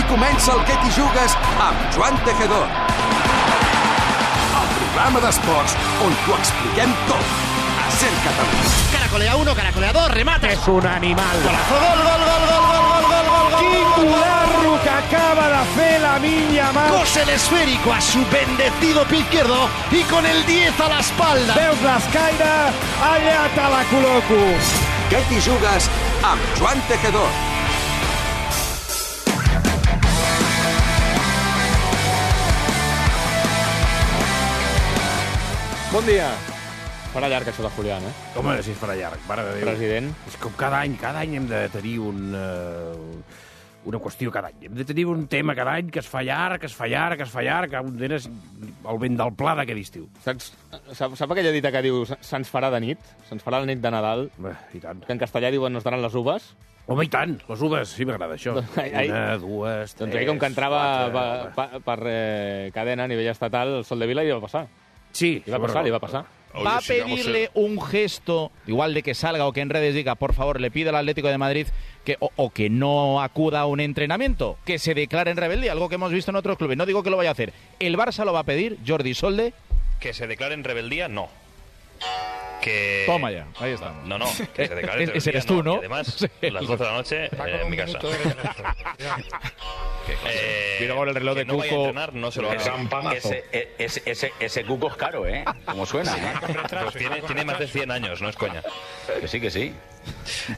comença el Què t'hi jugues amb Joan Tejedor. El programa d'esports on t'ho expliquem tot. A Ser Catalunya. Caracolea 1, caracolea 2, remate. És un animal. Golazo, gol, gol, gol, gol, gol, gol, gol, gol, gol. Quin golazo que acaba de fer Lamine Yamal. Cose el esférico a su bendecido pie izquierdo y con el 10 a la espalda. Veus l'escaire? Allà te la col·loco. Què t'hi jugues amb Joan Tejedor. Bon dia. Farà llarg això de Julián, eh? Home, si es farà llarg, mare de Déu. President. És com cada any hem de tenir una qüestió cada any. Hem de tenir un tema cada any que es fa llarg, que un d'ells és el vent del pla d'aquest estiu. Sap aquella dita que diu se'ns farà de nit? Se'ns farà la nit de Nadal? Bé, i tant. Que en castellà diuen nos daran les uves? Home, i tant, les uves, sí m'agrada això. Una, dues, tres... Doncs ahir, com que entrava per cadena a nivell estatal, el Sol de Vila li va passar. Sí, li va passar. Va a pedirle un gesto, igual de que salga o que en redes diga, por favor, le pide al Atlético de Madrid que o que no acuda a un entrenamiento, que se declare en rebeldía, algo que hemos visto en otros clubes. No digo que lo vaya a hacer. ¿El Barça lo va a pedir, Jordi Solde? Que se declare en rebeldía, no. Que... Toma ya, ahí está. No, que se declare en rebeldía, ese eres tú, ¿no? Y además, Sí. las 12 de la noche, en mi casa. Mira ahora el reloj de no vaya a Cuco. entrenar, no se lo haga. Ese Cuco es caro, ¿eh? Como suena, ¿eh? Pues tiene más de 100 años, no es coña. Que sí.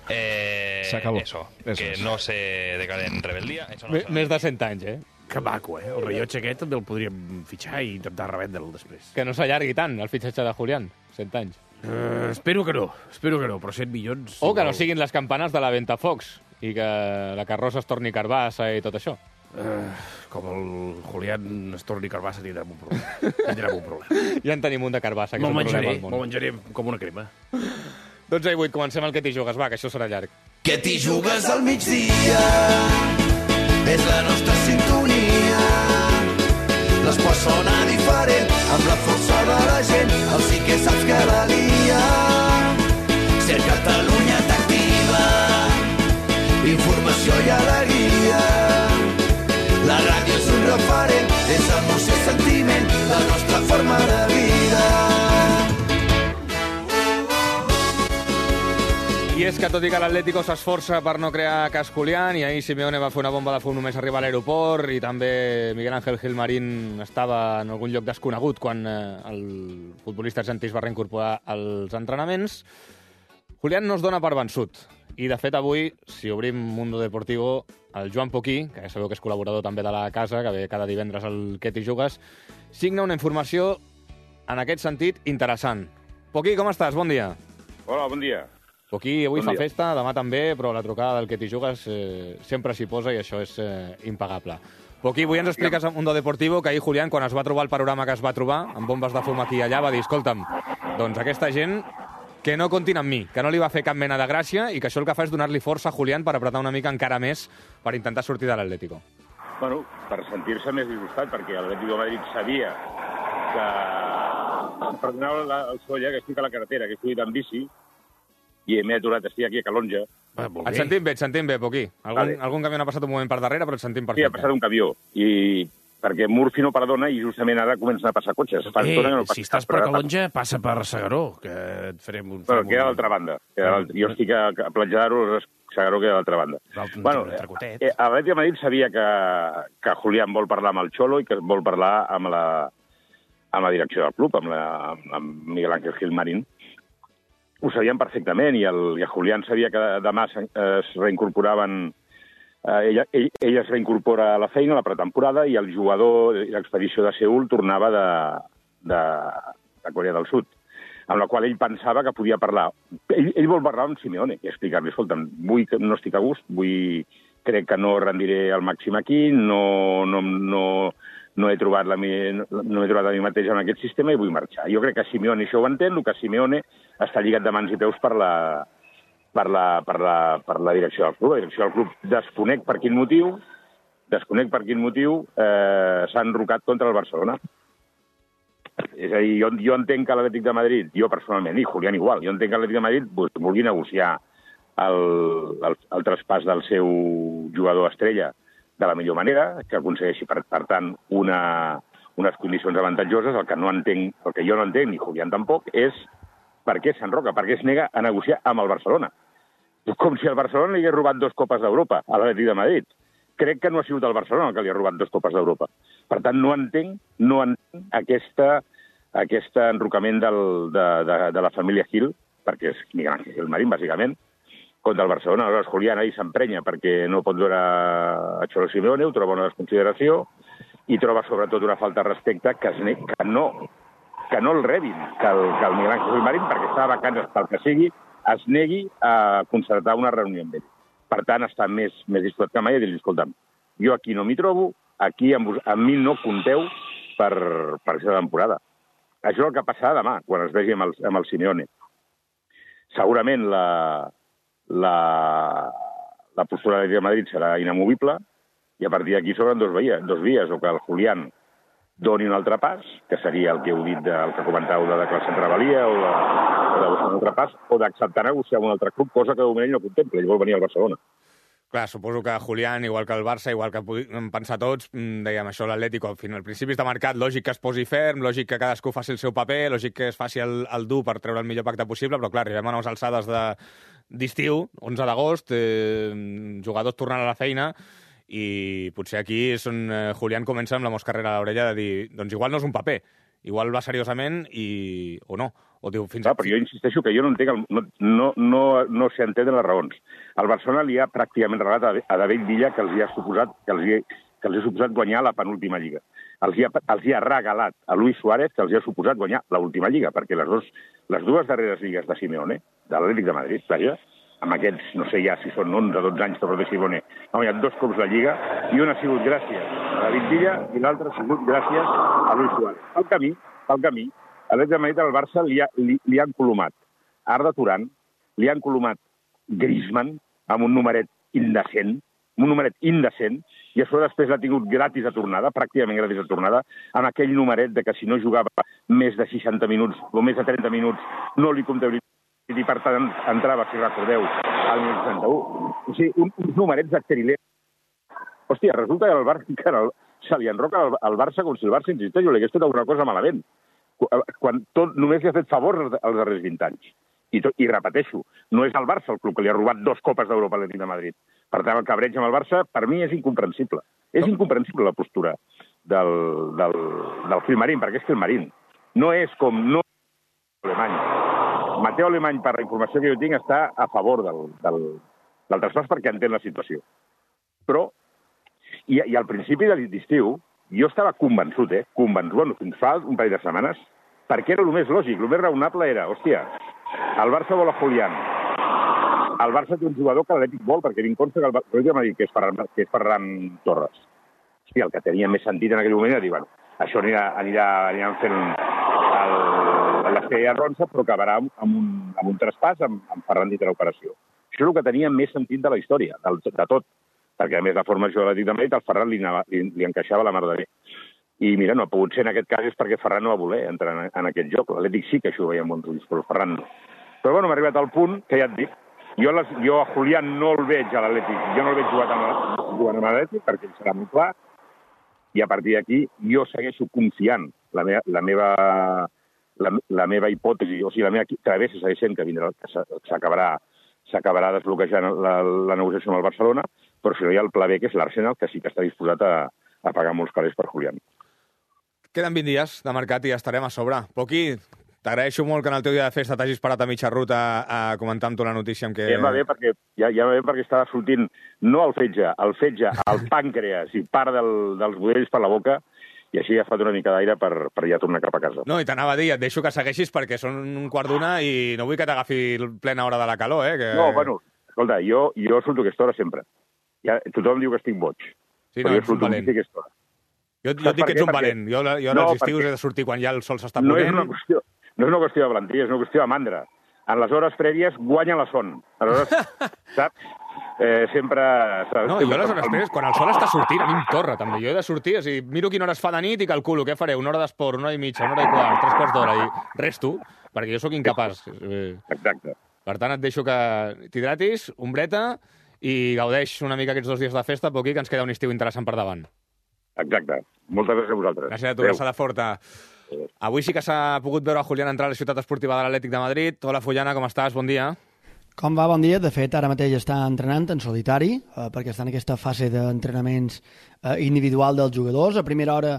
Se acabó. Eso es. no se declare en rebeldía. Eso no Més de 100 anys, eh? Que maco, eh? El rellotge aquest també el podríem fitxar i intentar revendre'l després. Que no s'allargui tant, el fitxatge de Julián. 100 anys. Espero que no, però 100 milions... O que no siguin les campanes de la Ventafocs i que la carrossa es torni carbassa i tot això. Com el Julián es torni carbassa tindrem un problema. Ja en tenim un de carbassa, que és un problema al món. Me'l menjaré com una crema. 12 i 8, comencem el Què t'hi jugues, va, que això serà llarg. Què t'hi jugues al migdia? És la nostra sintonia. L'esport sona diferent, amb la força de la gent, el sí que saps que la lia. Ser Catalunya t'activa, informació i alegria. La ràdio és un referent, és emoció i sentiment, la nostra forma de vida. I és que tot i que l'Atlético s'esforça per no crear cas Julián, i ahir Simeone va fer una bomba de fum només arribar a l'aeroport, i també Miguel Ángel Gilmarín estava en algun lloc desconegut quan el futbolista argentí es va reincorporar als entrenaments, Julián no es dona per vençut. I, de fet, avui, si obrim Mundo Deportivo, el Joan Poquí, que ja sabeu que és col·laborador també de la casa, que ve cada divendres al Què t'hi jugues, signa una informació, en aquest sentit, interessant. Poquí, com estàs? Bon dia. Hola, bon dia. Poquí avui fa festa, demà també, però la trucada del Què t'hi jugues sempre s'hi posa i això és impagable. Poquí, avui ens expliques a Mundo Deportivo que ahir Julián, quan es va trobar el panorama que es va trobar, amb bombes de fum aquí i allà, va dir, escolta'm, doncs aquesta gent que no comptin amb mi, que no li va fer cap mena de gràcia i que això el que fa és donar-li força a Julián per apretar una mica encara més per intentar sortir de l'Atlético. Bueno, per sentir-se més disgustat, perquè l'Atlético de Madrid sabia que... Perdoneu el solla, que estic a la carretera, que he fugit amb bici, i m'he aturat, estic aquí a Calonja. Et sentim bé, Poquí. Algun camió n'ha passat un moment per darrere, però et sentim perfecte. Sí, ha passat un camió, i perquè Murphy no perdona i justament ara comencen a passar cotxes. Si estàs per Calonja, passa per Segaró, que et farem un... Però queda a l'altra banda. Jo estic a Platja d'Aro, Segaró queda a l'altra banda. Bueno, l'Atlètic de Madrid sabia que Julián vol parlar amb el Xolo i que vol parlar amb la direcció del club, amb Miguel Ángel Gilmarín. Ho sabien perfectament, i el Julián sabia que demà es reincorporaven... Ell es reincorpora a la feina, a la pretemporada, i el jugador i l'expedició de Seül tornava de Corea del Sud, amb la qual ell pensava que podia parlar. Ell vol parlar amb Simeone i explicar-li, escolta'm, no estic a gust, crec que no rendiré al màxim aquí, no he trobat a mi mateix en aquest sistema i vull marxar. Jo crec que Simeone això ho entén, el que Simeone està lligat de mans i peus per la direcció del club. La direcció del club desconec per quin motiu s'ha enrocat contra el Barcelona. És a dir, jo entenc que l'Atlètic de Madrid, jo personalment, i Julián igual, jo entenc que l'Atlètic de Madrid vulgui negociar el traspàs del seu jugador estrella de la millor manera, que aconsegueixi, per tant, unes condicions avantatjoses. El que jo no entenc, ni Julián tampoc, és per què s'enroca, per què es nega a negociar amb el Barcelona. Com si el Barcelona li hagués robat 2 Copes d'Europa a l'Atlètic de Madrid. Crec que no ha sigut el Barcelona el que li ha robat 2 Copes d'Europa. Per tant, no entenc aquest enrocament de la família Gil, perquè és Miguel Ángel Gilmarín, bàsicament, contra el Barcelona. Aleshores, Julián ahir s'emprenya perquè no pot veure a Cholo Simeone, ho troba una desconsideració, i troba sobretot una falta de respecte que no el rebin, que el Miguel Ángel Gilmarín, perquè està de vacances pel que sigui, es negui a concertar una reunió amb ell. Per tant, està més disposat que mai a dir-li, escolta'm, jo aquí no m'hi trobo, aquí amb mi no compteu per aquesta temporada. Això és el que passarà demà, quan es vegi amb el Simeone. Segurament la postura de Madrid serà inamovible i a partir d'aquí s'obren dos vies, o que el Julián doni un altre pas, que seria el que heu dit, el que comentàveu de declaració en rebel·lia, o de buscar un altre pas, o d'acceptar negociar amb un altre club, cosa que de moment ell no contempla, ell vol venir al Barcelona. Clar, suposo que Julián, igual que el Barça, igual que podem pensar tots, dèiem això, l'Atlético, al final, al principi de mercat, lògic que es posi ferm, lògic que cadascú faci el seu paper, lògic que es faci el dur per treure el millor pacte possible, però clar, arribem a unes alçades d'estiu, 11 d'agost, jugadors tornant a la feina, i potser aquí és on Julián comença amb la moscarrera a l'orella de dir, doncs igual no és un paper, igual va seriosament o no. O diu, però jo insisteixo que jo no entenc, no s'entenen les raons. El Barcelona li ha pràcticament regalat a David Villa que els ha suposat guanyar la penúltima lliga. Els hi ha regalat a Luis Suárez que els ha suposat guanyar l'última lliga, perquè les dues darreres lligues de Simeone, de l'Atlètic de Madrid, vaja, amb aquests, no sé ja si són 11 o 12 anys que porta Simeone, ha guanyat 2 cops la lliga, i una ha sigut gràcies a David Villa i l'altra ha sigut gràcies a Luis Suárez. Pel camí, a l'Atlètic de Madrid al Barça li han colomat Arda Turan, li han colomat Griezmann amb un numeret indecent, i això després l'ha tingut gratis a tornada, pràcticament gratis a tornada, amb aquell numeret de que si no jugava més de 60 minuts o més de 30 minuts no li comptabilitzava, i per tant entrava, si recordeu, al minut 61. O sigui, uns numerets d'exteriler. Hòstia, resulta que el Barça se li enroca al Barça com si el Barça, insisteix, li hagués fet alguna cosa malament, quan només li ha fet favors els darrers 20 anys. I repeteixo, no és el Barça el club que li ha robat 2 Copes d'Europa a l'Atlètic de Madrid. Per tant, el cabreig amb el Barça, per mi, és incomprensible. És incomprensible la postura del Gilmarín, perquè és Gilmarín. No és com Alemany. Mateu Alemany, per la informació que jo tinc, està a favor del traspàs perquè entén la situació. Però, i al principi de l'estiu, jo estava convençut, fins fa un parell de setmanes, perquè era el més lògic, el més raonable era, hòstia, el Barça vol a Julián, el Barça té un jugador que l'Atlètic vol, perquè tinc consta que el Barça m'ha dit que és Ferran Torres. Hòstia, el que tenia més sentit en aquell moment era dir, bueno, això aniran fent l'esquella ronça, però acabarà amb un traspàs amb Ferran dintre l'operació. Això és el que tenia més sentit de la història, de tot, perquè a més la formació de l'Atlètic de Madrid al Ferran li encaixava la mar de bé. I mira, no ha pogut ser en aquest cas és perquè Ferran no va voler entrar en aquest joc. L'Atlètic sí que això ho veia amb bons ulls, però el Ferran no. Però bueno, m'ha arribat al punt que ja et dic, jo a Julián no el veig a l'Atlètic, jo no el veig jugant amb l'Atlètic perquè ell serà molt clar, i a partir d'aquí jo segueixo confiant la meva hipòtesi, o sigui, la meva travessa segueix sent que s'acabarà desbloquejant la negociació amb el Barcelona, però si no hi ha el pla B, que és l'Arsenal, que sí que està disposat a pagar molts calés per Julián. Queden 20 dies de mercat i ja estarem a sobre. Poqui, t'agraeixo molt que en el teu dia de festa t'hagis parat a mitja ruta a comentar amb tu la notícia amb què... Ja va bé perquè estava sortint no el fetge, al pàncreas i part dels budells per la boca, i així ha fet una mica d'aire per ja tornar cap a casa. No, i t'anava a dir, et deixo que segueixis perquè són 1:15 i no vull que t'agafi plena hora de la calor, Que... No, bueno, escolta, jo surto aquesta hora sempre. Tothom diu que estic boig. Sí, no, ets un valent. Jo et dic que ets un valent. Jo als estius he de sortir quan ja el sol s'està ponent. No és una qüestió de valentia, és una qüestió de mandra. En les hores prèvies guanya la son. Aleshores, saps? Sempre... No, jo a les hores prèvies, quan el sol està sortint, a mi em torra, també. Jo he de sortir, o sigui, miro quina hora es fa de nit i calculo què faré, 1 hora d'esport, 1 hora i mitja, 1 hora i quart, 3 quarts d'hora, i resto, perquè jo sóc incapaç. Exacte. Per tant, et deixo que t'hidratis, ombreta, i gaudeix una mica aquests 2 dies de festa, Poqui, que ens queda un estiu interessant per davant. Exacte. Moltes gràcies a vosaltres. Gràcies a tu, abraçada forta. Avui sí que s'ha pogut veure a Julián entrar a la ciutat esportiva de l'Atlètic de Madrid. Hola, Fullana, com estàs? Bon dia. Com va? Bon dia. De fet, ara mateix està entrenant en solitari, perquè està en aquesta fase d'entrenaments individual dels jugadors. A primera hora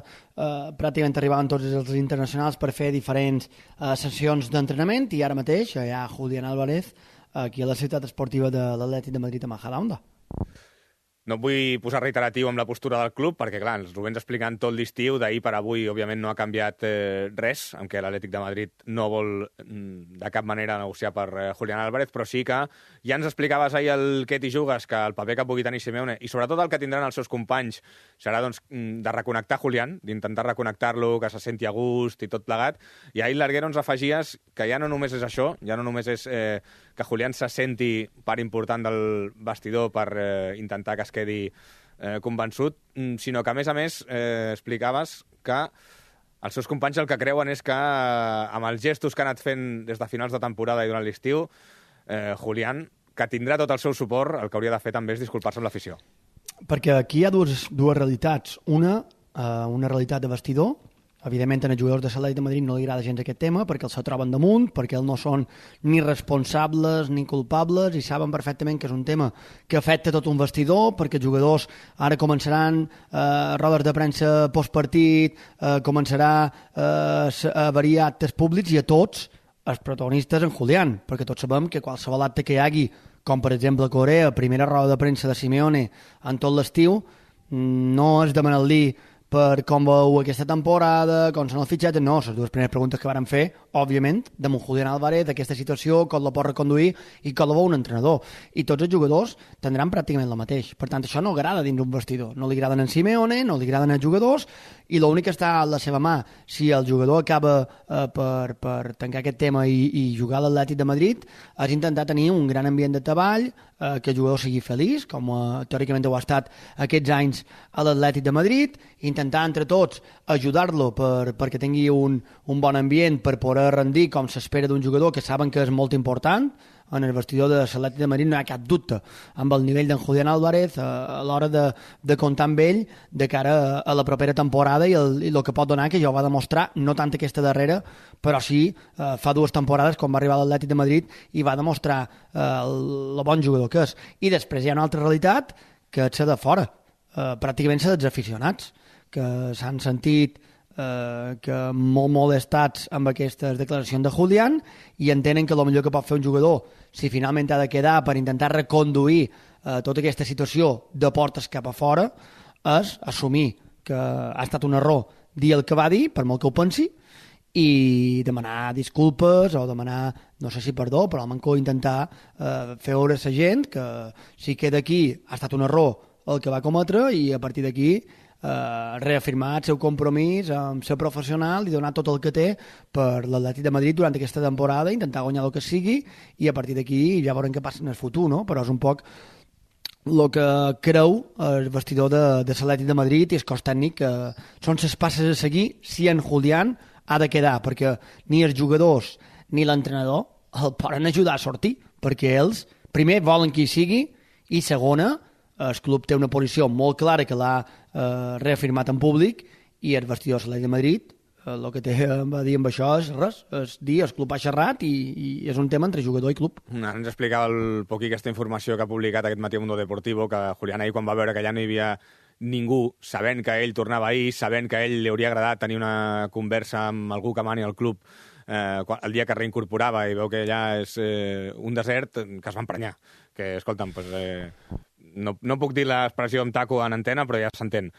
pràcticament arribaven tots els internacionals per fer diferents sessions d'entrenament, i ara mateix hi ha Julián Álvarez aquí a la ciutat esportiva de l'Atlètic de Madrid a Majadahonda. No et vull posar reiteratiu amb la postura del club, perquè, clar, ens ho vens explicant tot l'estiu, d'ahir per avui, òbviament, no ha canviat res, en què l'Atlètic de Madrid no vol de cap manera negociar per Julián Álvarez, però sí que ja ens explicaves ahir el què t'hi jugues, que el paper que pugui tenir Simeone, i sobretot el que tindran els seus companys, serà doncs, de reconnectar Julián, d'intentar reconnectar-lo, que se senti a gust i tot plegat, i ahir l'Arguero ens afegies que ja no només és això, ja no només és que Julián se senti part important del vestidor per intentar que es quedi convençut, sinó que, a més, explicaves que els seus companys el que creuen és que amb els gestos que ha anat fent des de finals de temporada i durant l'estiu, Julián, que tindrà tot el seu suport, el que hauria de fer també és disculpar-se amb l'afició. Perquè aquí hi ha dues realitats. Una realitat de vestidor. Evidentment, als jugadors de l'Atlètic de Madrid no li agrada gens aquest tema, perquè els se troben damunt, perquè ells no són ni responsables ni culpables, i saben perfectament que és un tema que afecta tot un vestidor, perquè els jugadors ara començaran rodes de premsa postpartit, començarà a variar actes públics, i a tots els protagonistes en Julián, perquè tots sabem que qualsevol acte que hi hagi, com per exemple a Corea, primera roda de premsa de Simeone en tot l'estiu, no és demanar-li per com veu aquesta temporada, com són els fitxatges, no, les dues primeres preguntes que varen fer, òbviament, de Julián Álvarez, d'aquesta situació, com la pot reconduir i com la veu un entrenador. I tots els jugadors tindran pràcticament el mateix. Per tant, això no agrada dins un vestidor. No li agraden en Simeone, no li agraden els jugadors, i l'únic que està a la seva mà, si el jugador acaba per tancar aquest tema i jugar a l'Atlètic de Madrid, és intentar tenir un gran ambient de treball, que el jugador sigui feliç, com teòricament ho ha estat aquests anys a l'Atlètic de Madrid, intentar entre tots ajudar-lo perquè tingui un bon ambient per poder rendir com s'espera d'un jugador que saben que és molt important. En el vestidor de l'Atlètic de Madrid no hi ha cap dubte amb el nivell d'en Julián Álvarez a l'hora de comptar amb ell de cara a la propera temporada i el que pot donar, que ja ho va demostrar, no tant aquesta darrera, però sí fa 2 temporades quan va arribar a l'Atlètic de Madrid i va demostrar el bon jugador que és. I després hi ha una altra realitat, que és de fora, pràcticament dels aficionats, que s'han sentit que molt molestats amb aquestes declaracions de Julián i entenen que el millor que pot fer un jugador, si finalment ha de quedar per intentar reconduir tota aquesta situació de portes cap a fora, és assumir que ha estat un error dir el que va dir, per molt que ho pensi, i demanar disculpes o demanar, no sé si perdó, però almenys intentar fer veure a la gent que si queda aquí ha estat un error el que va cometre, i a partir d'aquí reafirmar el seu compromís amb ser professional i donar tot el que té per l'Atlètic de Madrid durant aquesta temporada, intentar guanyar el que sigui, i a partir d'aquí ja veurem què passa en el futur, no? Però és un poc el que creu el vestidor de l'Atlètic de Madrid i el cos tècnic, que són les passes a seguir si en Julián ha de quedar, perquè ni els jugadors ni l'entrenador el poden ajudar a sortir, perquè ells primer volen que hi sigui, i segona, el club té una posició molt clara que l'ha reafirmat en públic, i el vestidor de l'Atlètic de Madrid el que té a dir amb això és res, és dir, el club ha xerrat i és un tema entre jugador i club. Ens explicava el Poqui aquesta informació que ha publicat aquest matí a Mundo Deportivo, que Julián ahir, quan va veure que ja no hi havia ningú, sabent que ell tornava ahir, sabent que a ell li hauria agradat tenir una conversa amb algú que mani al club el dia que reincorporava i veu que allà és un desert, que es va emprenyar. Que, escolta'm, pues, no puc dir l'expressió amb taco en antena, però ja s'entén.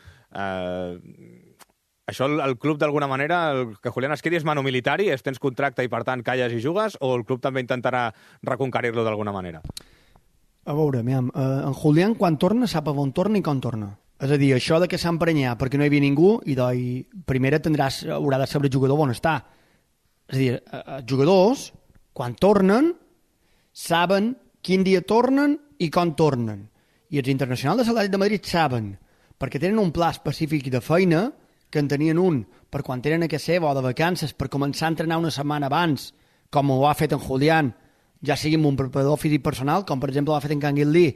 Això el club, d'alguna manera, que Julián es quedi és mano militari, tens contracte i, per tant, calles i jugues, o el club també intentarà reconquerir-lo d'alguna manera? A veure, en Julián, quan torna, sap on torna i com torna. És a dir, això de que s'ha emprenyat perquè no hi havia ningú, i primer haurà de saber el jugador on està. És a dir, els jugadors, quan tornen, saben quin dia tornen i com tornen. I els internacionals de l'Atlètic de Madrid saben, perquè tenen un pla específic de feina, que en tenien un per quan tenen a casa seva o de vacances, per començar a entrenar una setmana abans, com ho ha fet en Julián ja sigui amb un preparador físic personal, com per exemple l'ha fet en Canguilí,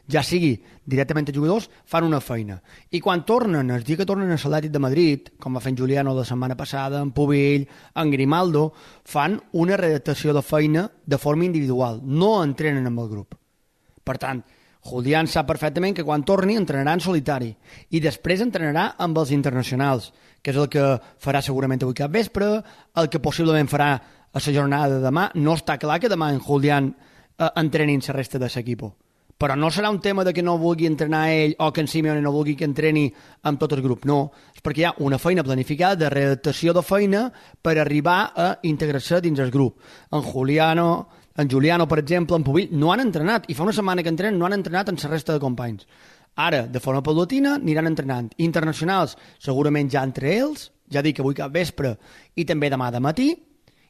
ja sigui directament a jugadors, fan una feina. I quan tornen, el dia que tornen a l'Atlètic de Madrid, com va fer en Juliano la setmana passada, en Pubill, en Grimaldo, fan una redactació de feina de forma individual, no entrenen amb el grup. Per tant, Julián sap perfectament que quan torni entrenarà en solitari i després entrenarà amb els internacionals, que és el que farà segurament avui cap vespre, el que possiblement farà a la jornada de demà. No està clar que demà en Julián entrenin la resta de l'equip. Però no serà un tema de que no vulgui entrenar ell o que en Simeone no vulgui que entreni amb tot el grup. No, és perquè hi ha una feina planificada de redactació de feina per arribar a integrar-se dins el grup. En Juliano, per exemple, en Pubill, no han entrenat, i fa una setmana que entrenen, no han entrenat en la resta de companys. Ara, de forma paulatina, aniran entrenant. Internacionals, segurament ja entre ells, ja dic avui cap vespre i també demà de matí,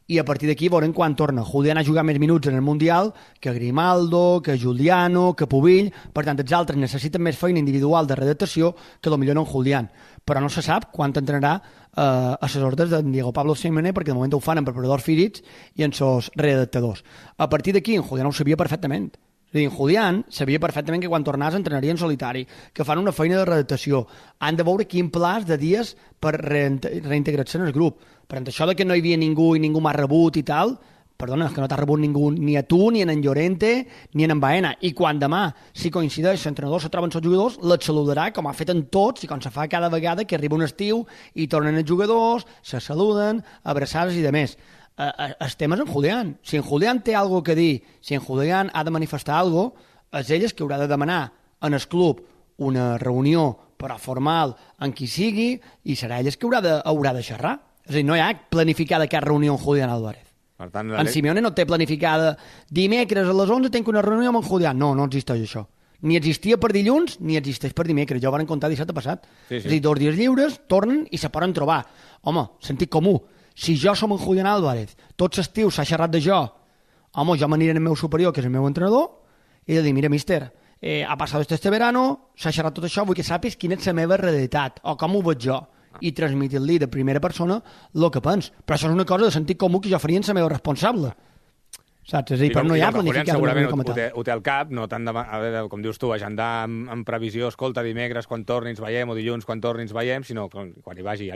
i a partir d'aquí veurem quan torna. Julián ha jugat més minuts en el Mundial que Grimaldo, que Juliano, que Pubill. Per tant, els altres necessiten més feina individual de redactació que potser no en Julián. Però no se sap quan entrenarà a les ordres de Diego Pablo Simeone, perquè de moment ho fan en preparadors físics i en seus redactadors. A partir d'aquí, en Julián ho sabia perfectament. És a dir, en Julián sabia perfectament que quan tornàs entrenaria en solitari, que fan una feina de redactació. Han de veure quin plaç de dies per reintegrar-se en el grup. Per tant, això de que no hi havia ningú i ningú m'ha rebut i tal, perdona, és que no t'ha rebut ningú, ni a tu, ni en Llorente, ni en Baena. I quan demà, si coincideix, l'entrenador se troben els jugadors, les saludarà, com ha fet en tots, i com se fa cada vegada que arriba un estiu i tornen els jugadors, se saluden, abraçades i demés. El tema és en Julián. Si en Julián té alguna que dir, si en Julián ha de manifestar alguna cosa, és ell que haurà de demanar en el club una reunió però formal en qui sigui i serà ell que haurà de xerrar. És a dir, no hi ha planificada cap reunió amb Julián Álvarez. Per tant, en Simeone no té planificada dimecres a les 11 tenc una reunió amb en Julián. No, no existeix això. Ni existia per dilluns ni existeix per dimecres. Ja ho van contar dissabte passat. Sí. És a dir, 2 dies lliures, tornen i se poden trobar. Home, sentit comú. Si jo som en Julián Álvarez, tots l'estiu s'ha xerrat de jo, home, jo m'aniré al meu superior, que és el meu entrenador, i de dir, mira, míster, ha passat este verano, s'ha xerrat tot això, vull que sàpis quina és la meva realitat, o com ho veig jo, i transmitir-li de primera persona el que pens. Però això és una cosa de sentit comú que jo faria en la meva responsable. Saps? És a dir, però no hi ha planificat segurament ho té al cap, no tant com dius tu, agendar amb previsió, escolta, dimecres quan torni ens veiem, o dilluns quan torni ens veiem, sinó quan hi vagi.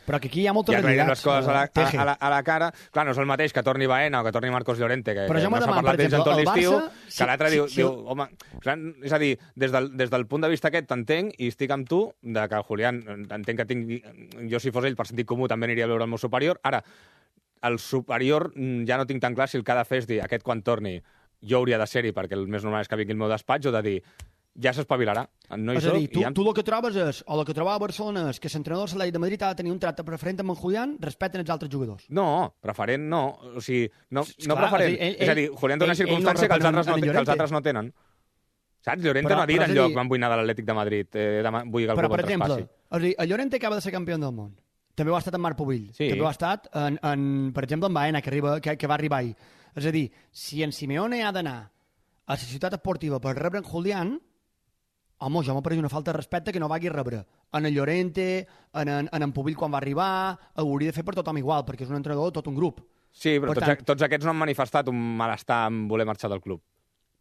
Però que aquí hi ha moltes realitats. Ja les coses a la cara. Clar, no és el mateix que torni Baena o que torni Marcos Llorente, que no s'ha parlat d'ells en tot l'estiu, que l'altre diu, home, és a dir, des del punt de vista aquest t'entenc i estic amb tu, que Julián, entenc que jo si fos ell per sentit comú també aniria a veure el meu superior. Ara, el superior ja no tinc tan clar si el que ha de fer és dir aquest quan torni jo hauria de ser-hi perquè el més normal és que vingui el meu despatx o de dir ja s'espavilarà. No és a dir, tu el que trobes és, o el que trobava a Barcelona és que l'entrenador de l'Atlètic de Madrid ha de tenir un tracte preferent amb en Julián respecte als altres jugadors. No, preferent no. O sigui, no preferent. És a dir, Julián té una circumstància que els altres no tenen. Saps? Llorente no ha dit enlloc van vull anar de l'Atlètic de Madrid, vull que el club el traspassi. Però, per exemple, el Llorente acaba de ser campió del món. També ho ha estat en Marc Pubill. Sí. També ho ha estat, per exemple, en Baena, que va arribar ahir. És a dir, si en Simeone ha d'anar a la ciutat esportiva per rebre en Julián, home, jo m'apareix una falta de respecte que no vagi a rebre. En el Llorente, en Pubill quan va arribar, ho hauria de fer per tothom igual, perquè és un entrenador de tot un grup. Sí, però tots aquests no han manifestat un malestar en voler marxar del club.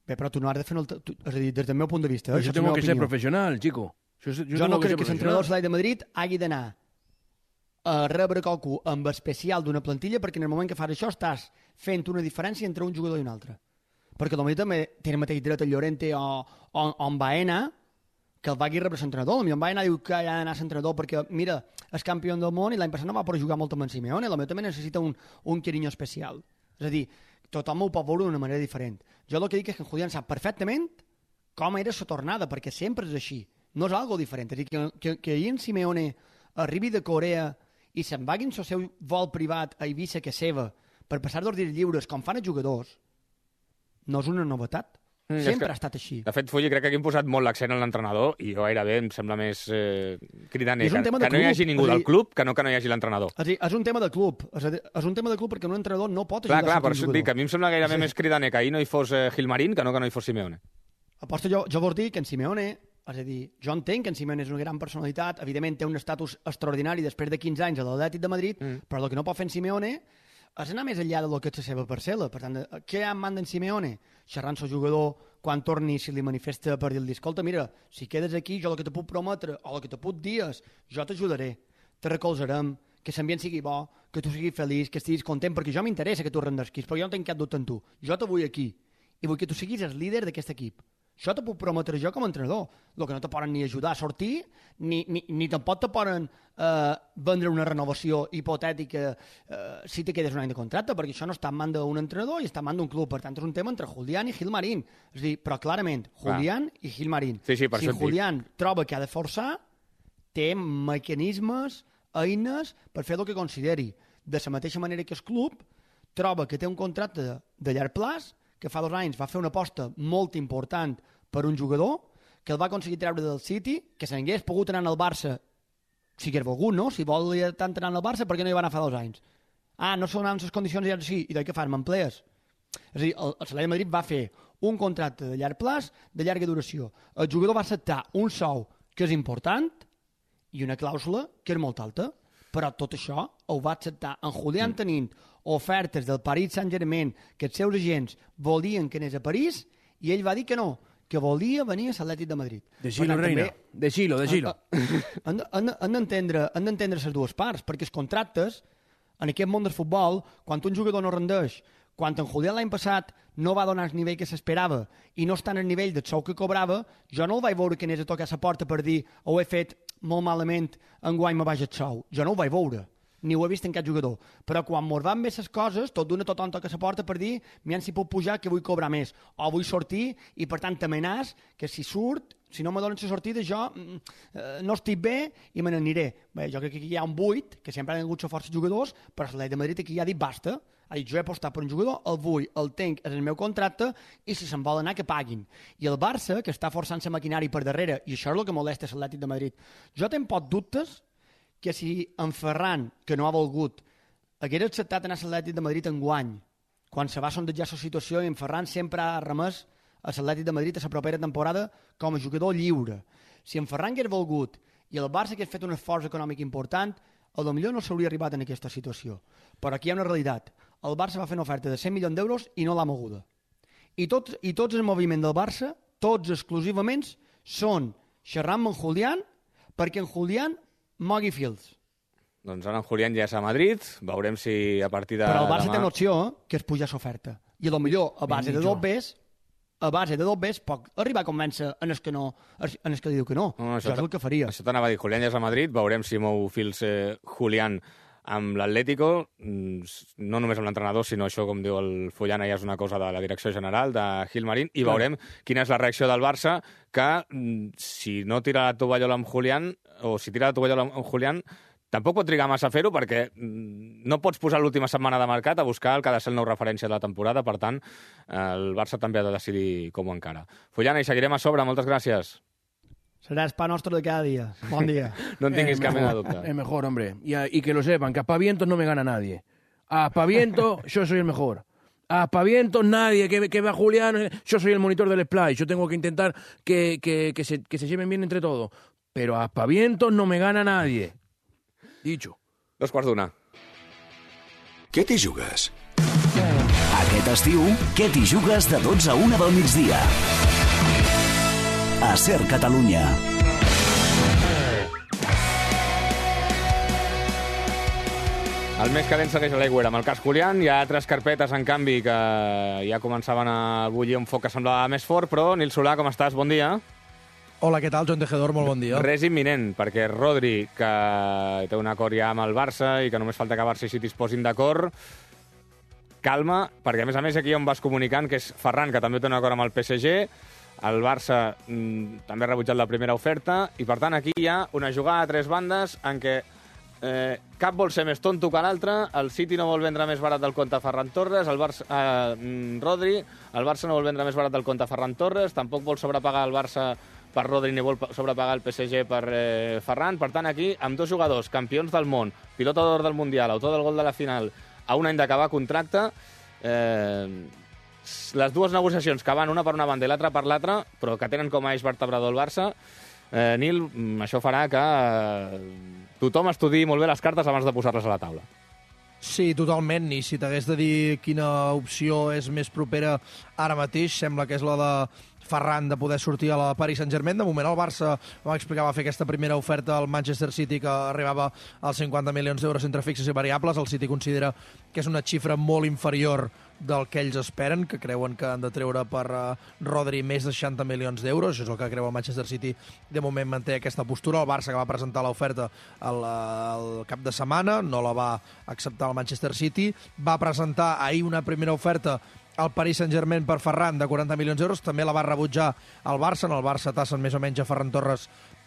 Bé, però tu no has de fer... És a dir, des del meu punt de vista... Això tengo que ser professional, chico. Jo no crec que l'entrenador de l'Atlètic de Madrid hagi d'anar a rebre qualcú amb especial d'una plantilla perquè en el moment que fas això estàs fent una diferència entre un jugador i un altre. Perquè potser també té el mateix dret el Llorente o en Baena que el vagi rebre l'entrenador. Potser en Baena diu que ha d'anar a l'entrenador perquè, mira, és campió del món i l'any passat no va poder jugar molt amb en Simeone, potser també necessita un carinyo especial. És a dir, tothom ho pot veure d'una manera diferent. Jo el que dic és que en Julián sap perfectament com era la tornada, perquè sempre és així. No és algo diferent. És a dir, que ahir en Simeone arribi de Corea i se'n vagin el seu vol privat a Eivissa, que és seva, per passar 2 dies lliures, com fan els jugadors, no és una novetat. Sempre ha estat així. De fet, Fulli, crec que aquí hem posat molt l'accent en l'entrenador i jo gairebé em sembla més cridaner que no hi hagi ningú del club que no hi hagi l'entrenador. És un tema de club. És un tema de club perquè un entrenador no pot ajudar clar, per això et dic que a mi em sembla gairebé més cridaner que ahir no hi fos Gilmarín que no hi fos Simeone. Aposto jo vols dir que en Simeone... És a dir, jo entenc que en Simeone és una gran personalitat, evidentment té un estatus extraordinari després de 15 anys a l'Atlètic de Madrid, però el que no pot fer en Simeone és anar més enllà del que és la seva parcel·la. Per tant, què ha en man d'en Simeone? Xerrant el jugador quan torni, si li manifesta per dir-li, escolta, mira, si quedes aquí, jo el que te puc prometre, o el que te puc dir és, jo t'ajudaré, te recolzarem, que l'ambient sigui bo, que tu siguis feliç, que estiguis content, perquè jo m'interessa que tu rendesquis, però jo no tinc cap dubte en tu. Jo te vull aquí, i vull que tu siguis el líder d'aquest equip. Això te puc prometre jo com a entrenador. El que no te poden ni ajudar a sortir, ni tampoc te poden vendre una renovació hipotètica si te quedes un any de contracte, perquè això no està en man d'un entrenador i està en man d'un club. Per tant, és un tema entre Julián i Gilmarín. És a dir, però clarament, Julián i Gilmarín. Sí, per si Julián troba que ha de forçar, té mecanismes, eines per fer el que consideri. De la mateixa manera que el club troba que té un contracte de llarg plaç, que fa 2 anys va fer una aposta molt important per un jugador, que el va aconseguir treure del City, que se n'hagués pogut anar al Barça si hagués volgut, no? Si volia tant anar al Barça, per què no hi va anar fa 2 anys? No són les condicions i ara sí, i de què fas, m'emplees? És a dir, el Atlètic de Madrid va fer un contracte de llarg plaç, de llarga duració. El jugador va acceptar un sou que és important i una clàusula que és molt alta, però tot això ho va acceptar en Julián tenint ofertes del Paris Saint-Germain que els seus agents volien que anés a París i ell va dir que no, que volia venir a l'Atlètic de Madrid. Deixilo, reina. Deixilo. Han d'entendre les dues parts, perquè els contractes, en aquest món del futbol, quan un jugador no rendeix, quan en Julián l'any passat no va donar el nivell que s'esperava i no està en el nivell del sou que cobrava, jo no el vaig veure que anés a tocar la porta per dir ho he fet molt malament, enguany me vaig el sou. Jo no ho vaig veure, ni ho he vist en cap jugador. Però quan mos van bé les coses, tothom toca la porta per dir miren si puc pujar que vull cobrar més, o vull sortir i per tant t'amenàs que si surt, si no me donen la sortida jo no estic bé i me n'aniré. Bé, jo crec que aquí hi ha un buit, que sempre han hagut força jugadors, però l'Atlètic de Madrid aquí ja ha dit basta. Ha dit, jo he apostat per un jugador, el vull, el tenc, és el meu contracte, i si se'n vol anar, que paguin. I el Barça, que està forçant la maquinària per darrere, i això és el que molesta l'Atlètic de Madrid. Jo tenc pocs dubtes que si en Ferran, que no ha volgut, hagués acceptat anar a l'Atlètic de Madrid enguany, quan se va sondejar la situació, i en Ferran sempre ha remès a l'Atlètic de Madrid a la propera temporada com a jugador lliure. Si en Ferran hagués volgut i el Barça hagués fet un esforç econòmic important, potser no s'hauria arribat en aquesta situació. Però aquí hi ha una realitat. El Barça va fer una oferta de 100 milions d'euros i no l'ha moguda. I tots el moviment del Barça, tots exclusivament, són xerrant amb en Julián perquè en Julián mogui fils. Doncs ara en Julián ja és a Madrid, veurem si a partir de Però el Barça demà... té una opció, que és pujar l'oferta. I potser a base de dos bes, pot arribar a convèncer en el que li diu que no. Això és el que faria. Això t'anava a dir, Julián ja és a Madrid, veurem si mou fils Julián amb l'Atlético, no només amb l'entrenador, sinó això, com diu el Fullana, ja és una cosa de la direcció general, de Gilmarín, i veurem quina és la reacció del Barça, que si no tira la tovallola amb Julián, o si tira la tovallola amb Julián, tampoc pot trigar massa a fer-ho, perquè no pots posar l'última setmana de mercat a buscar el que ha de ser el nou referència de la temporada, per tant, el Barça també ha de decidir com ho encara. Fullana, i seguirem a sobre, moltes gràcies. Será pa nuestro de cada día. Buen día. No tinguis cap mena de dubte. Es mejor, hombre. Y que lo sepan, que a aspavientos no me gana nadie. A aspavientos yo soy el mejor. A aspavientos nadie, que va Julián, yo soy el monitor del splice. Yo tengo que intentar que se lleven bien entre todos. Pero a aspavientos no me gana nadie. Dicho. 2:15. Què t'hi jugues? Aquest estiu, què t'hi jugues de 12 a 1 del migdia? A Ser Catalunya. El més calent segueix a l'Aigüera. Amb el cas Julián hi ha altres carpetes, en canvi, que ja començaven a bullir un foc que semblava més fort, però, Nil Solà, com estàs? Bon dia. Hola, què tal, Joan Tejedor? Molt bon dia. Res imminent, perquè Rodri, que té un acord ja amb el Barça i que només falta que Barça i City es posin d'acord, calma, perquè a més aquí on vas comunicant, que és Ferran, que també té un acord amb el PSG, el Barça també ha rebutjat la primera oferta, i per tant aquí hi ha una jugada a 3 bandes en què cap vol ser més tonto que l'altre, el City no vol vendre més barat del compte a Ferran Torres, Rodri, el Barça no vol vendre més barat del compte a Ferran Torres, tampoc vol sobrepagar el Barça per Rodri ni vol sobrepagar el PSG per Ferran. Per tant, aquí, amb 2 jugadors, campions del món, pilota d'or del Mundial, autor del gol de la final, a un any d'acabar contracte, les 2 negociacions que van una per una banda i l'altra per l'altra, però que tenen com a eix vertebrador el Barça, Nil, això farà que tothom estudiï molt bé les cartes abans de posar-les a la taula. Sí, totalment, i si t'hagués de dir quina opció és més propera ara mateix, sembla que és la de Ferran de poder sortir a la Paris Saint-Germain. De moment el Barça, vam explicar, va fer aquesta primera oferta al Manchester City que arribava als 50 milions d'euros entre fixes i variables. El City considera que és una xifra molt inferior del que ells esperen, que creuen que han de treure per Rodri més de 60 milions d'euros. Això és el que creu el Manchester City. De moment manté aquesta postura. El Barça, que va presentar l'oferta el cap de setmana, no la va acceptar el Manchester City. Va presentar ahir una primera oferta al Paris Saint-Germain per Ferran de 40 milions d'euros, també la va rebutjar el Barça. En el Barça tassen més o menys a Ferran Torres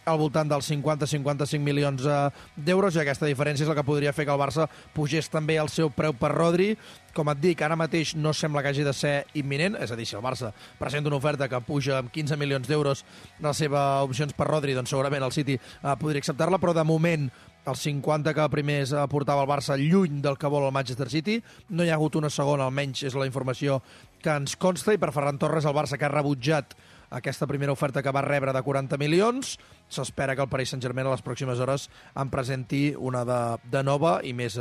al voltant dels 50-55 milions d'euros, i aquesta diferència és la que podria fer que el Barça pugés també el seu preu per Rodri. Com et dic, ara mateix no sembla que hagi de ser imminent, és a dir, si el Barça presenta una oferta que puja amb 15 milions d'euros les seves opcions per Rodri, doncs segurament el City podria acceptar-la, però de moment els 50 que primers portava el Barça lluny del que vol el Manchester City. No hi ha hagut una segona, almenys és la informació que ens consta, i per Ferran Torres el Barça, que ha rebutjat aquesta primera oferta que va rebre de 40 milions, s'espera que el Paris Saint-Germain a les pròximes hores en presenti una de nova i més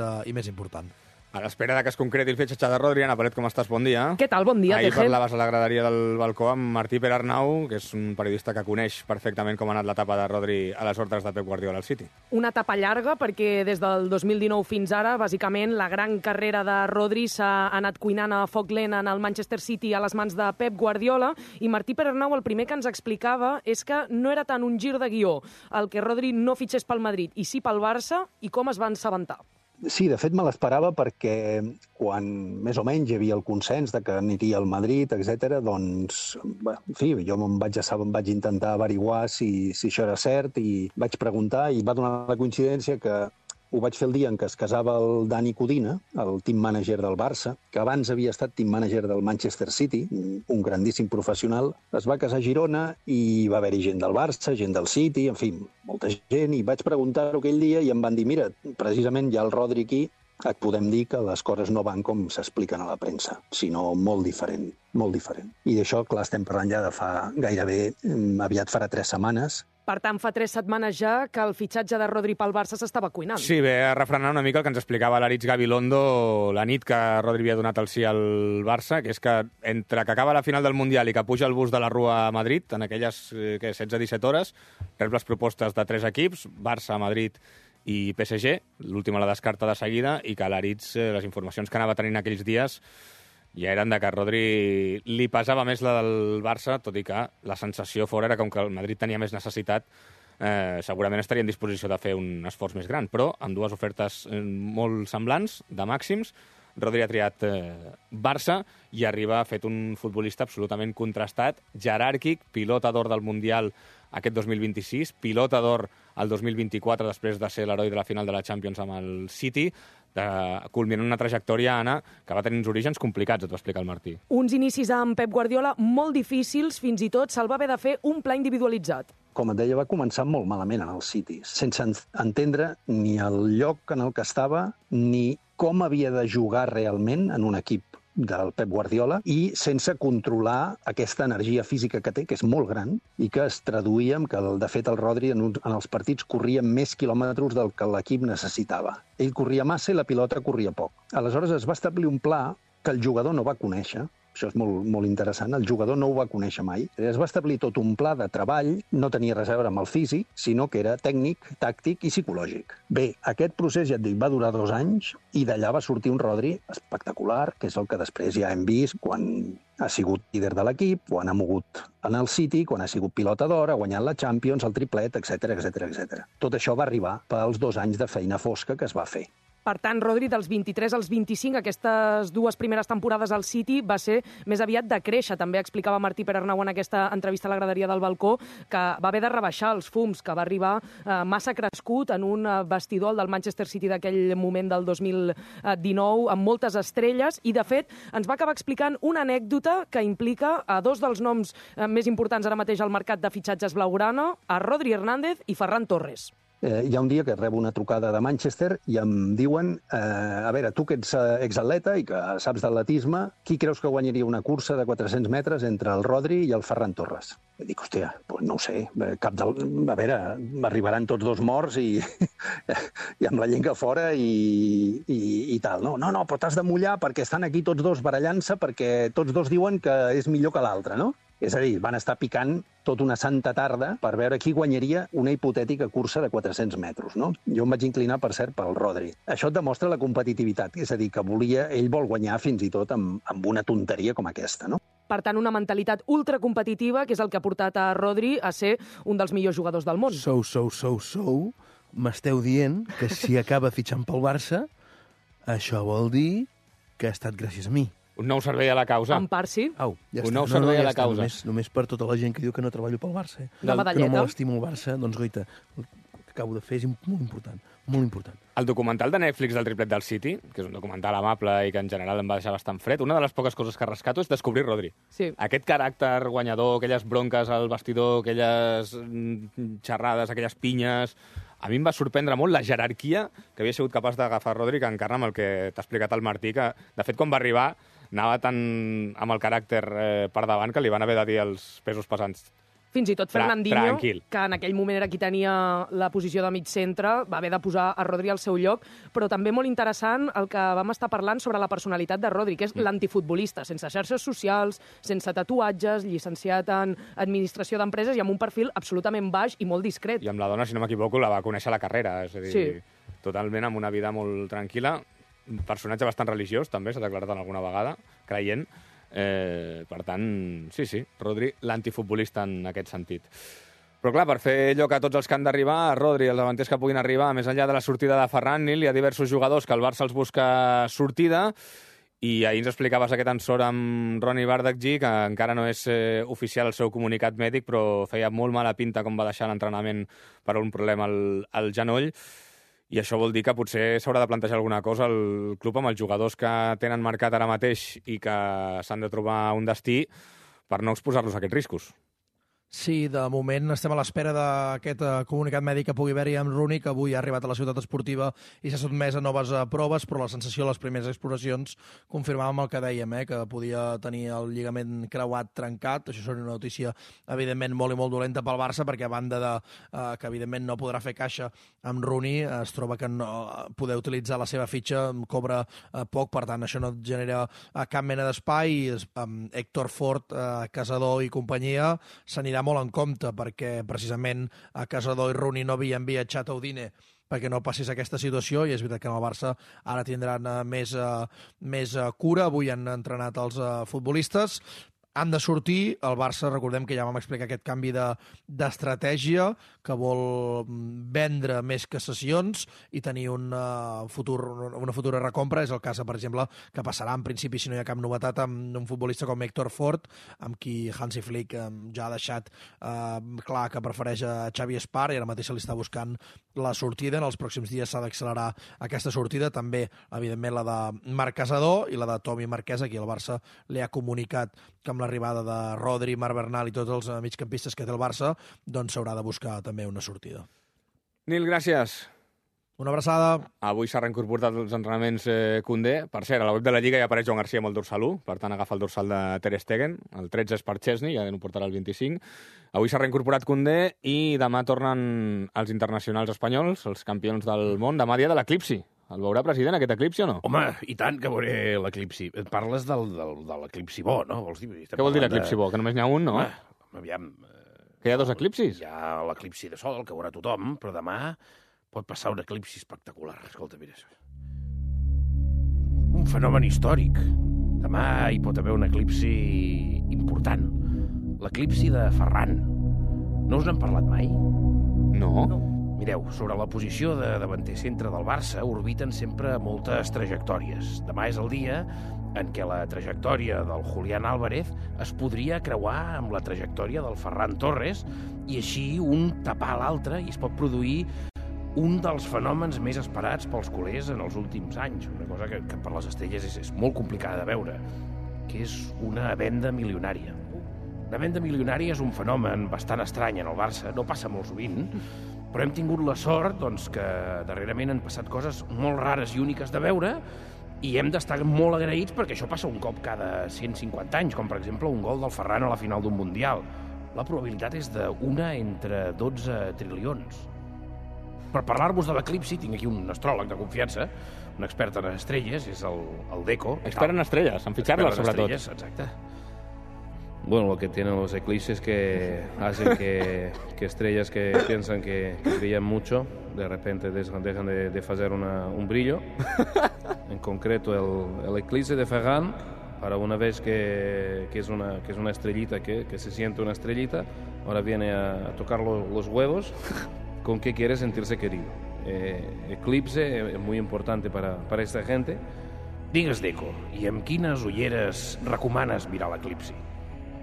important. A l'espera que es concreti el fitxatge de Rodri, Anna Paret, com estàs? Bon dia. Què tal? Bon dia, Ahir Tegel. parlaves a la graderia del balcó amb Martí Perarnau, que és un periodista que coneix perfectament com ha anat l'etapa de Rodri a les ordres de Pep Guardiola al City. Una etapa llarga, perquè des del 2019 fins ara, bàsicament, la gran carrera de Rodri s'ha anat cuinant a foc lent en el Manchester City a les mans de Pep Guardiola, i Martí Perarnau el primer que ens explicava és que no era tant un gir de guió el que Rodri no fitxés pel Madrid i sí pel Barça, i com es va assabentar. Sí, de fet me l'esperava perquè quan més o menys hi havia el consens de que aniria al Madrid, etc., doncs, en fi, jo em vaig intentar averiguar si això era cert i vaig preguntar, i va donar la coincidència que ho vaig fer el dia en què es casava el Dani Codina, el team manager del Barça, que abans havia estat team manager del Manchester City, un grandíssim professional. Es va casar a Girona i va haver-hi gent del Barça, gent del City, en fi, molta gent, i vaig preguntar-ho aquell dia i em van dir, mira, precisament hi ha el Rodri aquí, et podem dir que les coses no van com s'expliquen a la premsa, sinó molt diferent, molt diferent. I d'això, clar, estem parlant ja de fa gairebé, aviat farà 3 setmanes. Per tant, fa 3 setmanes ja que el fitxatge de Rodri pel Barça s'estava cuinant. Sí, ve a refrenar una mica el que ens explicava l'Aritz Gabilondo la nit que Rodri havia donat el sí al Barça, que és que entre que acaba la final del Mundial i que puja el bus de la Rua a Madrid, en aquelles 16-17 hores, rep les propostes de 3 equips, Barça, Madrid i PSG, l'última la descarta de seguida, i que l'Aritz, les informacions que anava tenint aquells dies, ja eren de que a Rodri li pesava més la del Barça, tot i que la sensació fora era com que el Madrid tenia més necessitat, segurament estaria en disposició de fer un esforç més gran, però amb 2 ofertes molt semblants, de màxims, Rodri ha triat Barça i arriba fet un futbolista absolutament contrastat, jeràrquic, pilota d'or del Mundial aquest 2026, pilota d'or el 2024 després de ser l'heroi de la final de la Champions amb el City, culminant una trajectòria, Anna, que va tenir uns orígens complicats, et va explicar el Martí. Uns inicis amb Pep Guardiola molt difícils, fins i tot se'l va haver de fer un pla individualitzat. Com et deia, va començar molt malament en el City, sense entendre ni el lloc en el que estava, ni com havia de jugar realment en un equip del Pep Guardiola, i sense controlar aquesta energia física que té, que és molt gran, i que es traduïa en que, de fet, el Rodri en els partits corria més quilòmetres del que l'equip necessitava. Ell corria massa i la pilota corria poc. Aleshores es va establir un pla que el jugador no va conèixer. Això és molt interessant. El jugador no ho va conèixer mai. Es va establir tot un pla de treball, no tenia res a veure amb el físic, sinó que era tècnic, tàctic i psicològic. Bé, aquest procés, ja et dic, va durar 2 anys i d'allà va sortir un Rodri espectacular, que és el que després ja hem vist quan ha sigut líder de l'equip, quan ha mogut en el City, quan ha sigut pilota d'or, ha guanyat la Champions, el triplet, etc. Tot això va arribar pels 2 anys de feina fosca que es va fer. Per tant, Rodri, dels 23 als 25, aquestes 2 primeres temporades al City va ser més aviat de créixer. També explicava Martí Perarnau en aquesta entrevista a la graderia del balcó que va haver de rebaixar els fums, que va arribar massa crescut en un vestidor del Manchester City d'aquell moment del 2019, amb moltes estrelles, i de fet ens va acabar explicant una anècdota que implica a 2 dels noms més importants ara mateix al mercat de fitxatges blaugrana, a Rodri Hernández i Ferran Torres. hi ha un dia que rebo una trucada de Manchester i em diuen, a veure, tu que ets exatleta i que saps d'atletisme, qui creus que guanyaria una cursa de 400 metres entre el Rodri i el Ferran Torres? I dic, hòstia, doncs no ho sé, a veure, arribaran tots dos morts i amb la llengua fora i tal. No, però t'has de mullar perquè estan aquí tots dos barallant-se perquè tots dos diuen que és millor que l'altre, no? És a dir, van estar picant tota una santa tarda per veure qui guanyaria una hipotètica cursa de 400 metres, no? Jo em vaig inclinar, per cert, pel Rodri. Això et demostra la competitivitat, és a dir, que ell vol guanyar fins i tot amb una tonteria com aquesta, no? Per tant, una mentalitat ultracompetitiva, que és el que ha portat a Rodri a ser un dels millors jugadors del món. M'esteu dient que si acaba fitxant pel Barça, això vol dir que ha estat gràcies a mi. Un nou servei a la causa. En part, sí. Au, ja un nou servei a la causa. Només per tota la gent que diu que no treballo pel Barça. La medalleta. Que no m'estimo el Barça, doncs, goita, el que acabo de fer és molt important, molt important. El documental de Netflix del triplet del City, que és un documental amable i que en general em va deixar bastant fred, una de les poques coses que rescato és descobrir Rodri. Sí. Aquest caràcter guanyador, aquelles bronques al vestidor, aquelles xerrades, aquelles pinyes... A mi em va sorprendre molt la jerarquia que havia sigut capaç d'agafar Rodri, que encarna amb el que t'ha explicat el Martí, que, de fet, quan va arribar, anava tan amb el caràcter per davant que li van haver de dir els pesos pesants. Fins i tot Fernandinho, tranquil, que en aquell moment era qui tenia la posició de mig centre, va haver de posar a Rodri al seu lloc, però també molt interessant el que vam estar parlant sobre la personalitat de Rodri, que és l'antifutbolista, sense xarxes socials, sense tatuatges, llicenciat en administració d'empreses i amb un perfil absolutament baix i molt discret. I amb la dona, si no m'equivoco, la va conèixer a la carrera, és a dir, totalment amb una vida molt tranquil·la, un personatge bastant religiós, també, s'ha declarat alguna vegada, creient. Per tant, sí, Rodri, l'antifutbolista en aquest sentit. Però clar, per fer allò que tots els que han d'arribar, Rodri, els davanters que puguin arribar, més enllà de la sortida de Ferran, Nil, hi ha diversos jugadors que el Barça els busca sortida, i ahir ens explicaves aquest ensort amb Ronny Bardakji, que encara no és oficial el seu comunicat mèdic, però feia molt mala pinta com va deixar l'entrenament per un problema al genoll. I això vol dir que potser s'haurà de plantejar alguna cosa el club amb els jugadors que tenen marcat ara mateix i que s'han de trobar un destí per no exposar-los a aquests riscos. Sí, de moment estem a l'espera d'aquest comunicat mèdic que pugui haver-hi amb Rooney, que avui ha arribat a la ciutat esportiva i s'ha sotmès a noves proves, però la sensació de les primeres exploracions confirmàvem el que dèiem, que podia tenir el lligament creuat trencat. Això seria una notícia, evidentment, molt i molt dolenta pel Barça, perquè a banda de que, evidentment, no podrà fer caixa amb Rooney, es troba que no poder utilitzar la seva fitxa cobra poc, per tant, això no genera cap mena d'espai. Héctor Fort, Casador i companyia s'anirà molt en compte, perquè precisament a Casador i Rooney no havien viatjat a Udine perquè no passés aquesta situació, i és veritat que en el Barça ara tindran més cura. Avui han entrenat els futbolistes. Han de sortir. El Barça, recordem que ja vam explicar aquest canvi d'estratègia, que vol vendre més que cessions i tenir una futura recompra. És el cas, per exemple, que passarà en principi, si no hi ha cap novetat, amb un futbolista com Héctor Fort, amb qui Hansi Flick ja ha deixat clar que prefereix a Xavi Espar, i ara mateix se li està buscant la sortida. En els pròxims dies s'ha d'accelerar aquesta sortida. També, evidentment, la de Marc Casador i la de Tomi Marquès, a qui el Barça li ha comunicat que amb l'arribada de Rodri, Marc Bernal i tots els migcampistes que té el Barça, doncs s'haurà de buscar també una sortida. Nil, gràcies. Una abraçada. Avui s'ha reincorporat als entrenaments Koundé. Per cert, a la web de la Lliga ja apareix Joan Garcia amb el dorsal 1, per tant agafa el dorsal de Ter Stegen. El 13 és per Chesney, ja no portarà el 25. Avui s'ha reincorporat Koundé i demà tornen els internacionals espanyols, els campions del món. Demà dia de l'eclipsi. El veurà, president, aquest eclipsi o no? Home, i tant que veuré l'eclipsi. Parles de l'eclipsi bo, no? Vols dir? Què vol dir l'eclipsi bo? Que només n'hi ha un, no? Aviam. Que hi ha dos eclipsis? Hi ha l'eclipsi de sol, que veurà tothom, però demà pot passar un eclipsi espectacular. Escolta, mira això. Un fenomen històric. Demà hi pot haver un eclipsi important. L'eclipsi de Ferran. No us n'han parlat mai? No. Mireu, sobre la posició de davanter centre del Barça orbiten sempre moltes trajectòries. Demà és el dia en què la trajectòria del Julián Álvarez es podria creuar amb la trajectòria del Ferran Torres i així un tapar l'altre, i es pot produir un dels fenòmens més esperats pels culers en els últims anys. Una cosa que per les estrelles és molt complicada de veure, que és una venda milionària. La venda milionària és un fenomen bastant estrany en el Barça, no passa molt sovint, però hem tingut la sort doncs, que darrerament han passat coses molt rares i úniques de veure i hem d'estar molt agraïts perquè això passa un cop cada 150 anys, com per exemple un gol del Ferran a la final d'un Mundial. La probabilitat és d'una entre 12 trilions. Per parlar-vos de l'eclipsi, tinc aquí un astròleg de confiança, un expert en estrelles, és el Deco. Expert en estrelles, en fitxar-les, sobretot. Estrelles, exacte. Bueno, lo que tienen los eclipses que hacen que estrellas que piensan que brillan mucho, de repente dejan de hacer un brillo. En concreto, el eclipse de Ferran, para una vez que es una estrellita, que se siente una estrellita, ahora viene a tocar los huevos. ¿Con qué quiere sentirse querido? Eclipse es muy importante para esta gente. Digues, Deco, i amb quines ulleres recomanes mirar l'eclipsi?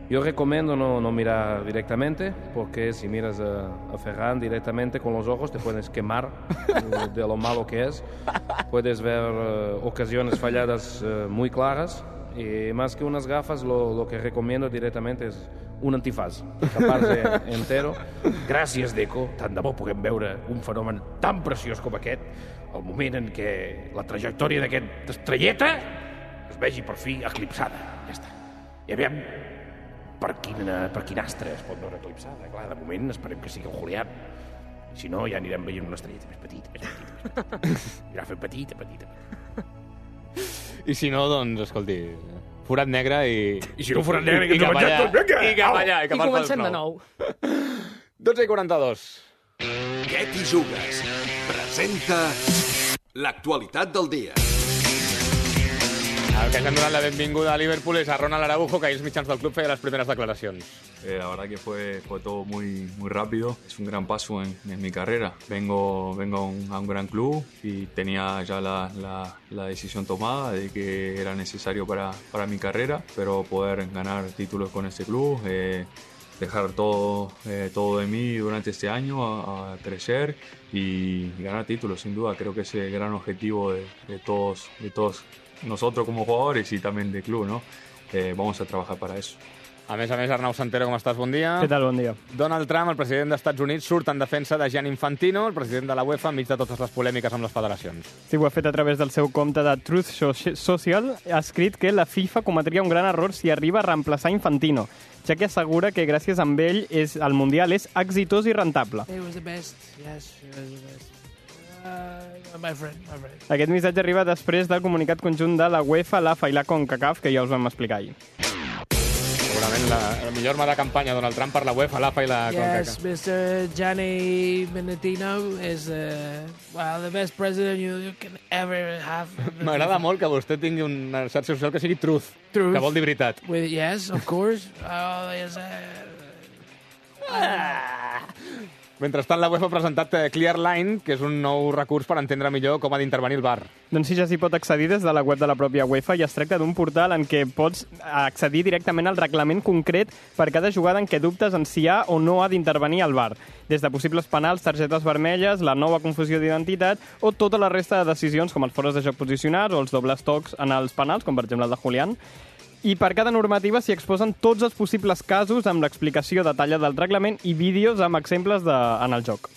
Yo recomiendo no mirar directamente, porque si miras a Ferran directamente con los ojos te puedes quemar de lo malo que es. Puedes ver ocasiones falladas muy claras, y más que unas gafas lo que recomiendo directamente es un antifaz, tapar-se entero. Gràcies, Deco. Tant de bo puguem veure un fenomen tan preciós com aquest, el moment en què la trajectòria d'aquesta estrelleta es vegi per fi eclipsada. Ja està. I aviam per quin astre es pot veure eclipsada. Clar, de moment esperem que sigui el Julián. Si no, ja anirem veient una estrelleta més petita. Anirà fent petita. I si no, doncs, escolti, forat negre i si no forat negre, i cap allà. I cap allà. I comencem de nou. 12:42. Què t'hi jugues? Presenta l'actualitat del dia. El que ens han donat la benvinguda a Liverpool és a Ronald Araujo, que ahir els mitjans del club feia les primeras declaracions. La verdad que fue todo muy rápido. Es un gran paso en mi carrera. Vengo a un gran club y tenía ya la decisión tomada de que era necesario para mi carrera, pero poder ganar títulos con este club, dejar todo de mí durante este año a crecer y ganar títulos, sin duda. Creo que es el gran objetivo de todos nosotros como jugadores y también del club, ¿no? Vamos a trabajar para eso. A més, Arnau Santero, com estàs? Bon dia. Què tal? Bon dia. Donald Trump, el president dels Estats Units, surt en defensa de Gianni Infantino, el president de la UEFA, enmig de totes les polèmiques amb les federacions. Sí, ho ha fet a través del seu compte de Truth Social. Ha escrit que la FIFA cometria un gran error si arriba a reemplaçar Infantino, ja que assegura que gràcies a ell el Mundial és exitós i rentable. It was the best. Yes, it was the best. My friend. Aquest missatge arriba després del comunicat conjunt de la UEFA, l'AFA i la CONCACAF, que ja us vam explicar ahir. Segurament la millor arma de campanya Donald Trump per la UEFA, l'AFA i la CONCACAF. Yes, Mr. Gianni Infantino is the best president you can ever have. M'agrada molt que vostè tingui una xarxa social que sigui Truth, que vol dir veritat. Yes, of course. Mentrestant, la UEFA ha presentat Clear Line, que és un nou recurs per entendre millor com ha d'intervenir el VAR. Doncs sí, ja s'hi pot accedir des de la web de la pròpia UEFA i es tracta d'un portal en què pots accedir directament al reglament concret per cada jugada en què dubtes en si ha o no ha d'intervenir el VAR. Des de possibles penals, targetes vermelles, la nova confusió d'identitat o tota la resta de decisions com els fores de joc posicionats o els dobles tocs en els penals, com per exemple el de Julián. I per cada normativa s'hi exposen tots els possibles casos amb l'explicació detallada del reglament i vídeos amb exemples en el joc.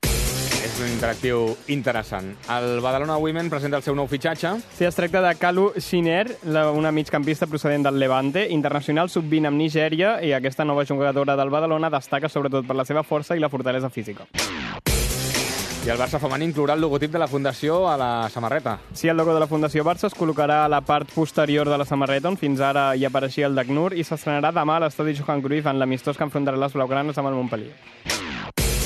És un interactiu interessant. El Badalona Women presenta el seu nou fitxatge. Sí, es tracta de Kalu Shiner, una migcampista procedent del Levante, internacional sub-20 amb Nigèria, i aquesta nova jugadora del Badalona destaca sobretot per la seva força i la fortalesa física. I el Barça femení inclourà el logotip de la Fundació a la samarreta. Sí, el logo de la Fundació Barça es col·locarà a la part posterior de la samarreta, on fins ara hi apareixia el d'ACNUR, i s'estrenarà demà a l'estadi Johan Cruyff en l'amistós que enfrontarà les blaugranes amb el Montpellier.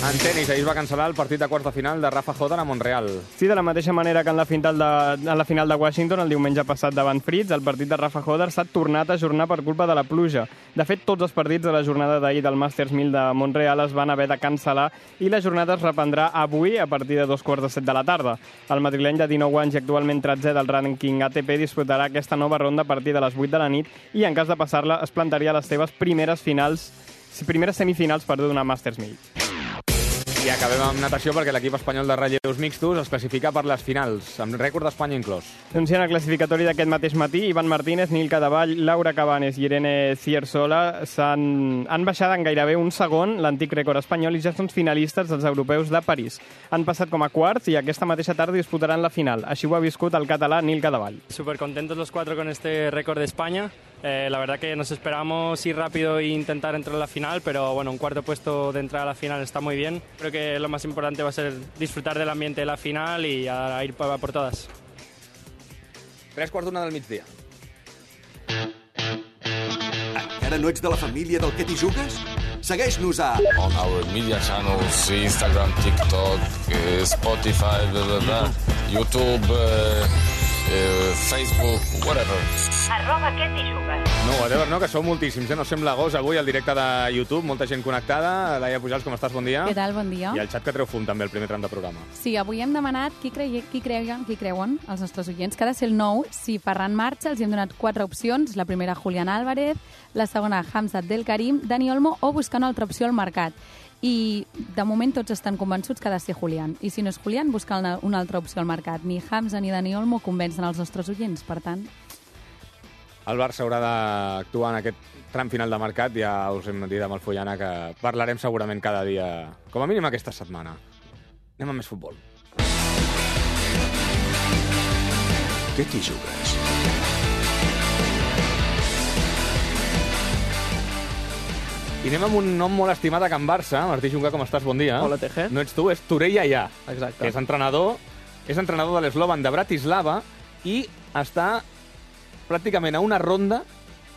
En tenis, ahir es va cancel·lar el partit de quarts de final de Rafa Hodder a Montreal. Sí, de la mateixa manera que en la final de Washington el diumenge passat davant Fritz, el partit de Rafa Hodder s'ha tornat a ajornar per culpa de la pluja. De fet, tots els partits de la jornada d'ahir del Masters 1000 de Montreal es van haver de cancel·lar i la jornada es reprendrà avui a partir de 2:15 de la tarda. El madrileny de 19 anys i actualment 13è del rànquing ATP disputarà aquesta nova ronda a partir de les 8 de la nit i, en cas de passar-la, es plantaria a les seves primeres semifinals d'una Masters 1000. I acabem amb natació perquè l'equip espanyol de relleus mixtos es classifica per les finals, amb rècord d'Espanya inclòs. Doncs en el classificatori d'aquest mateix matí, Ivan Martínez, Nil Cadavall, Laura Cabanes i Irene Ciersola han baixat en gairebé un segon l'antic rècord espanyol i ja són finalistes dels europeus de París. Han passat com a quarts i aquesta mateixa tarda disputaran la final. Així ho ha viscut el català Nil Cadavall. Súper contentos los cuatro con este récord de España. La verdad que nos esperamos ir rápido e intentar entrar a la final, pero bueno, un cuarto puesto de entrar a la final está muy bien. Creo que lo más importante va a ser disfrutar del ambiente de la final y a ir por todas. 3:45 del migdia. Encara no ets de la família del Què t'hi jugues? Segueix-nos a... On our media channels, Instagram, TikTok, Spotify, blah, blah, blah, YouTube, Facebook, whatever. @Què t'hi jugues. No, whatever, no, que sou moltíssims, no sembla gos avui al directe de YouTube, molta gent connectada. Laia Pujals, com estàs? Bon dia. Què tal? Bon dia. I el xat que treu fum també, el primer tram de programa. Sí, avui hem demanat qui creuen els nostres oients, que ha de ser el nou. Si Ferran marxa, els hem donat 4 opcions. La primera, Julián Álvarez, la segona, Hamza Abdelkarim, Dani Olmo o buscar una altra opció al mercat. I de moment tots estan convençuts que ha de ser Julián. I si no és Julián, buscar una altra opció al mercat. Ni Hamza ni Dani Olmo convencen els nostres oients, per tant... El Barça haurà d'actuar en aquest tram final de mercat. Ja us hem dit amb el Follana que parlarem segurament cada dia, com a mínim aquesta setmana. Anem a més futbol. Què t'hi jugues? I anem amb un nom molt estimat a Can Barça. Martí Junca, com estàs? Bon dia. Hola, Teje. No ets tu, és Turell Allà. Exacte. Que és entrenador de l'Slovan de Bratislava i està pràcticament a una ronda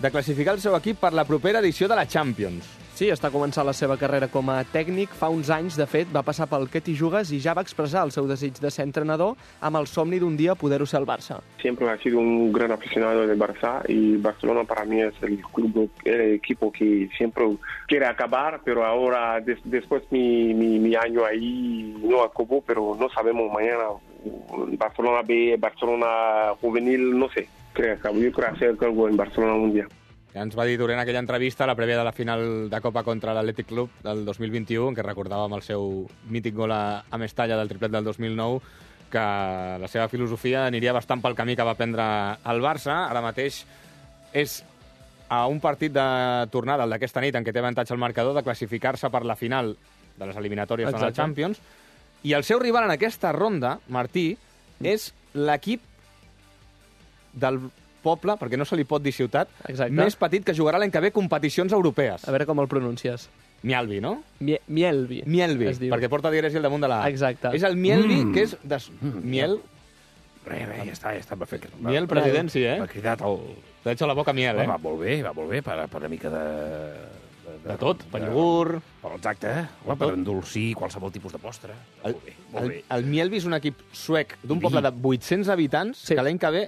de classificar el seu equip per la propera edició de la Champions. Sí, està començant la seva carrera com a tècnic. Fa uns anys, de fet, va passar pel Què t'hi jugues i ja va expressar el seu desig de ser entrenador amb el somni d'un dia poder-ho ser al Barça. Siempre he sido un gran aficionado del Barça y Barcelona para mí es el club, el equipo que siempre quiere acabar, pero ahora después mi año ahí no acabó, pero no sabemos mañana. Barcelona B, Barcelona juvenil, no sé. Yo creo hacer algo en Barcelona un día. Ja ens va dir durant aquella entrevista, a la prèvia de la final de Copa contra l'Atlètic Club del 2021, en què recordàvem el seu mític gol a Mestalla del triplet del 2009, que la seva filosofia aniria bastant pel camí que va prendre el Barça. Ara mateix és a un partit de tornada, el d'aquesta nit, en què té avantatge el marcador, de classificar-se per la final de les eliminatòries de la Champions. I el seu rival en aquesta ronda, Martí, és l'equip del poble, perquè no se li pot dir ciutat, més petit que jugarà l'any que ve competicions europees. A veure com el pronuncies. Mielvi, no? Mielvi. Mielvi, perquè porta dièresi al damunt de la A. Exacte. És el Mielvi, que és... Miel... Ja està perfecte. Miel, president, sí, eh? M'ha cridat el... T'ha hecho la boca miel, eh? Va molt bé, per una mica de... De tot, per iogurt... Exacte, per endolcir qualsevol tipus de postre. El Mielvi és un equip suec d'un poble de 800 habitants que l'any que ve...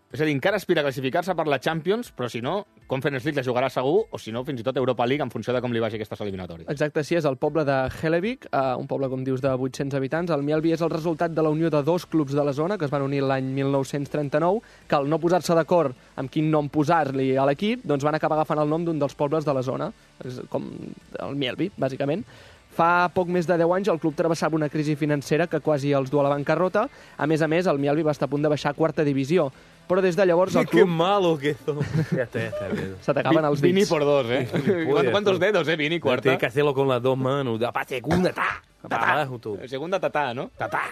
És a dir, encara aspira a classificar-se per la Champions, però si no, Conference League la jugarà segur, o si no, fins i tot Europa League, en funció de com li vagi aquestes eliminatòries. Exacte, sí, és el poble de Hellevik, un poble, com dius, de 800 habitants. El Mielvi és el resultat de la unió de 2 clubs de la zona, que es van unir l'any 1939, que al no posar-se d'acord amb quin nom posar-li a l'equip, doncs van acabar agafant el nom d'un dels pobles de la zona, com el Mielvi, bàsicament. Fa poc més de 10 anys el club travessava una crisi financera que quasi els du a la bancarrota. A més, el Mielvi va estar a punt de baixar a 4ª divisió. Però des de llavors el club... ¡Qué malo que eso! Se t'acaban els dits. Vini por 2, eh? ¿Cuántos dedos, eh? Vini, cuarta. Tiene que hacerlo con las 2 manos. Segunda, Segunda tatà, ¿no? Tatà.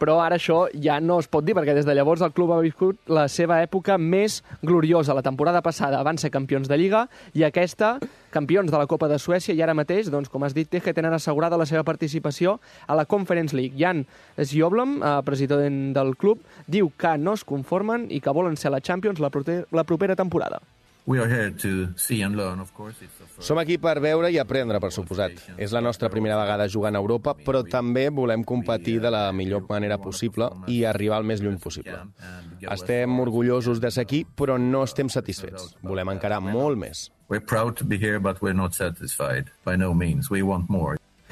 Però ara això ja no es pot dir, perquè des de llavors el club ha viscut la seva època més gloriosa. La temporada passada van ser campions de Lliga i aquesta, campions de la Copa de Suècia, i ara mateix, doncs, com has dit, Teje, tenen assegurada la seva participació a la Conference League. Jan Sjoblom, president del club, diu que no es conformen i que volen ser la Champions la propera temporada. Som aquí per veure i aprendre, per suposat. És la nostra primera vegada jugant a Europa, però també volem competir de la millor manera possible i arribar al més lluny possible. Estem orgullosos de ser aquí, però no estem satisfets. Volem encarar molt més.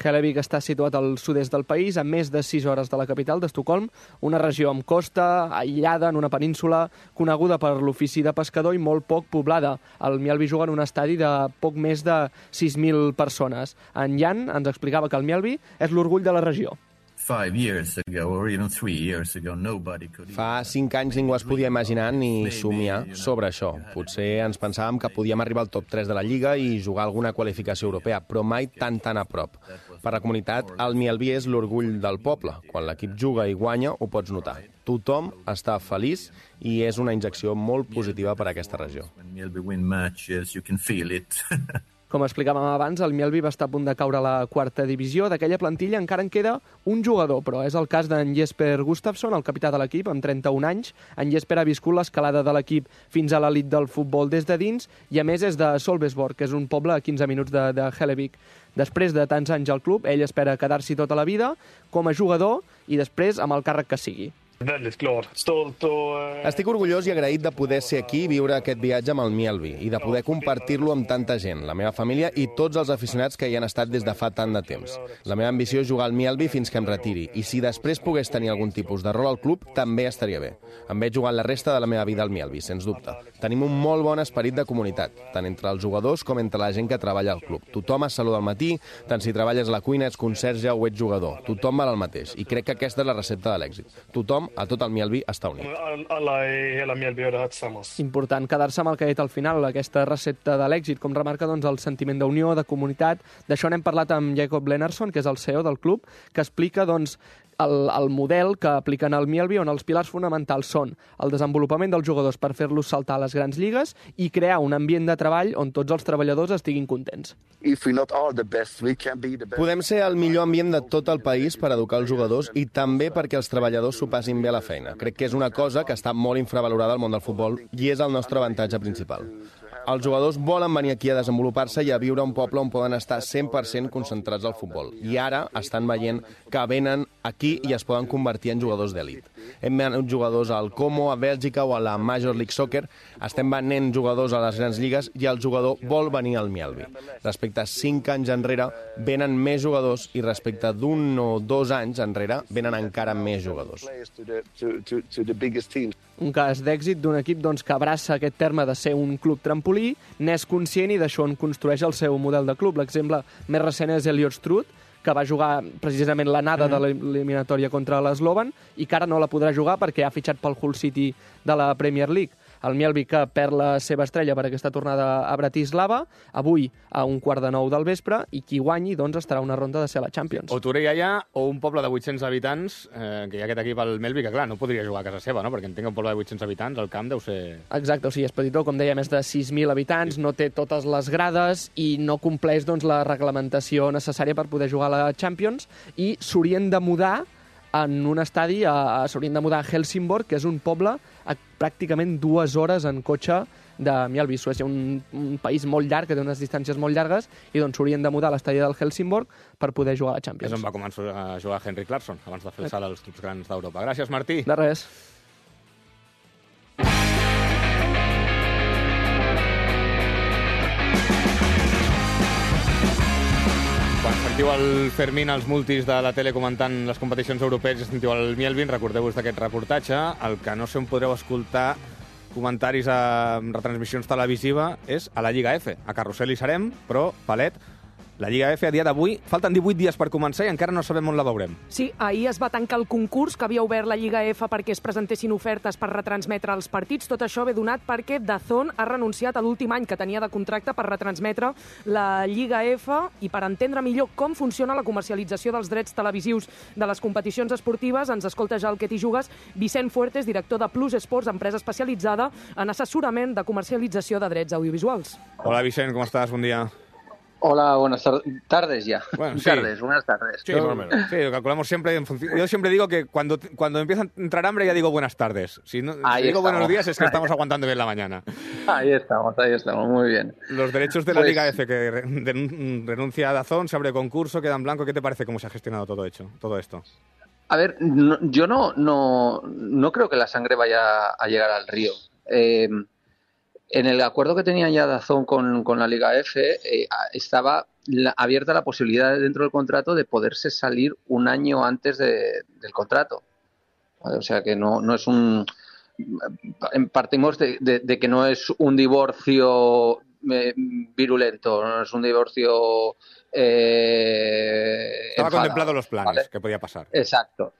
Hellevik està situat al sud-est del país, a més de 6 hores de la capital, d'Estocolm, una regió amb costa, aïllada en una península, coneguda per l'ofici de pescador i molt poc poblada. El Mjällby juga en un estadi de poc més de 6.000 persones. En Jan ens explicava que el Mjällby és l'orgull de la regió. Fa 5 anys ningú es podia imaginar ni somiar sobre això. Potser ens pensàvem que podíem arribar al top 3 de la Lliga i jugar alguna qualificació europea, però mai tan a prop. Per la comunitat, el Mjällby és l'orgull del poble. Quan l'equip juga i guanya, ho pots notar. Tothom està feliç i és una injecció molt positiva per a aquesta regió. Com explicàvem abans, el Mjällby va estar a punt de caure a la 4ª divisió. D'aquella plantilla encara en queda un jugador, però és el cas d'en Jesper Gustafsson, el capità de l'equip, amb 31 anys. En Jesper ha viscut l'escalada de l'equip fins a l'elit del futbol des de dins i, a més, és de Solbesborg, que és un poble a 15 minuts de Hellevik. Després de tants anys al club, ell espera quedar-s'hi tota la vida com a jugador i després amb el càrrec que sigui. Estic orgullós i agraït de poder ser aquí i viure aquest viatge amb el Mjällby i de poder compartir-lo amb tanta gent, la meva família i tots els aficionats que hi han estat des de fa tant de temps. La meva ambició és jugar al Mjällby fins que em retiri i si després pogués tenir algun tipus de rol al club, també estaria bé. Em veig jugant la resta de la meva vida al Mjällby, sens dubte. Tenim un molt bon esperit de comunitat, tant entre els jugadors com entre la gent que treballa al club. Tothom es saluda al matí, tant si treballes a la cuina, ets conserge o ets jugador. Tothom val el mateix i crec que aquesta és la recepta de l'èxit. Tothom, a tot el Mjällby, està unit. Important quedar-se amb el que ha dit al final, aquesta recepta de l'èxit, com remarca el sentiment d'unió, de comunitat. D'això n'hem parlat amb Jacob Lennartson, que és el CEO del club, que explica el model que apliquen al Mjällby, on els pilars fonamentals són el desenvolupament dels jugadors per fer-los saltar a les grans lligues i crear un ambient de treball on tots els treballadors estiguin contents. Podem ser el millor ambient de tot el país per educar els jugadors i també perquè els treballadors s'ho passin bé a la feina. Crec que és una cosa que està molt infravalorada al món del futbol i és el nostre avantatge principal. Els jugadors volen venir aquí a desenvolupar-se i a viure a un poble on poden estar 100% concentrats al futbol. I ara estan veient que venen aquí i es poden convertir en jugadors d'elit. Hem venut jugadors al Como, a Bèlgica o a la Major League Soccer. Estem venent jugadors a les grans lligues i el jugador vol venir al Mjällby. Respecte a 5 anys enrere, venen més jugadors i respecte d'1 o 2 anys enrere, venen encara més jugadors. Un cas d'èxit d'un equip que abraça aquest terme de ser un club trampolí, n'és conscient i d'això en construeix el seu model de club. L'exemple més recent és Elliot Struth, que va jugar precisament l'anada de l'eliminatòria contra l'Slovan i que ara no la podrà jugar perquè ha fitxat pel Hull City de la Premier League. El Mjällby, que perd la seva estrella per aquesta tornada a Bratislava, avui a 8:45 del vespre, i qui guanyi estarà a una ronda de ser a la Champions. O Torella o un poble de 800 habitants, que hi ha aquest equip al Mjällby, que clar, no podria jugar a casa seva, no? Perquè entenc que un poble de 800 habitants, el camp deu ser... Exacte, o sigui, és petitó, com deia, més de 6.000 habitants, no té totes les grades i no compleix la reglamentació necessària per poder jugar a la Champions, i s'haurien de mudar en un estadi, s'haurien de mudar a Helsingborg, que és un poble a pràcticament 2 hores en cotxe de Mjällby. Suècia, un país molt llarg, que té unes distàncies molt llargues, i s'haurien de mudar a l'estadi del Helsingborg per poder jugar a la Champions. És on va començar a jugar Henrik Larsson, abans de fer el salt als clubs grans d'Europa. Gràcies, Martí. De res. Quan sentiu el Fermín als multis de la tele comentant les competicions europees i sentiu el Mjällby, recordeu-vos d'aquest reportatge. El que no sé on podreu escoltar comentaris a retransmissions televisives és a la Lliga F. A Carrusel hi serem, però, Palet, la Lliga F a dia d'avui, falten 18 dies per començar i encara no sabem on la veurem. Sí, ahir es va tancar el concurs que havia obert la Lliga F perquè es presentessin ofertes per retransmetre els partits. Tot això ve donat perquè DAZN ha renunciat a l'últim any que tenia de contracte per retransmetre la Lliga F, i per entendre millor com funciona la comercialització dels drets televisius de les competicions esportives ens escolta ja el Que t'hi jugues Vicent Fuertes, director de Plus Sports, empresa especialitzada en assessorament de comercialització de drets audiovisuals. Hola Vicent, ¿cómo estás? Buen día. Hola, buenas tardes ya. Bueno, sí. Buenas tardes. Sí, más o menos. Sí, lo calculamos siempre en función. Yo siempre digo que cuando empieza a entrar hambre ya digo buenas tardes. Si digo buenos días es que estamos aguantando bien la mañana. Ahí estamos, muy bien. Los derechos de la Liga F, que renuncia a DAZN, se abre concurso, queda en blanco. ¿Qué te parece cómo se ha gestionado todo esto? A ver, yo no creo que la sangre vaya a llegar al río. En el acuerdo que tenía ya DAZN con la Liga F estaba abierta la posibilidad dentro del contrato de poderse salir un año antes del contrato. ¿Vale? O sea que no es un... Partimos de que no es un divorcio virulento, no es un divorcio... Estaba contemplado los planes, ¿vale? Que podía pasar. Exacto.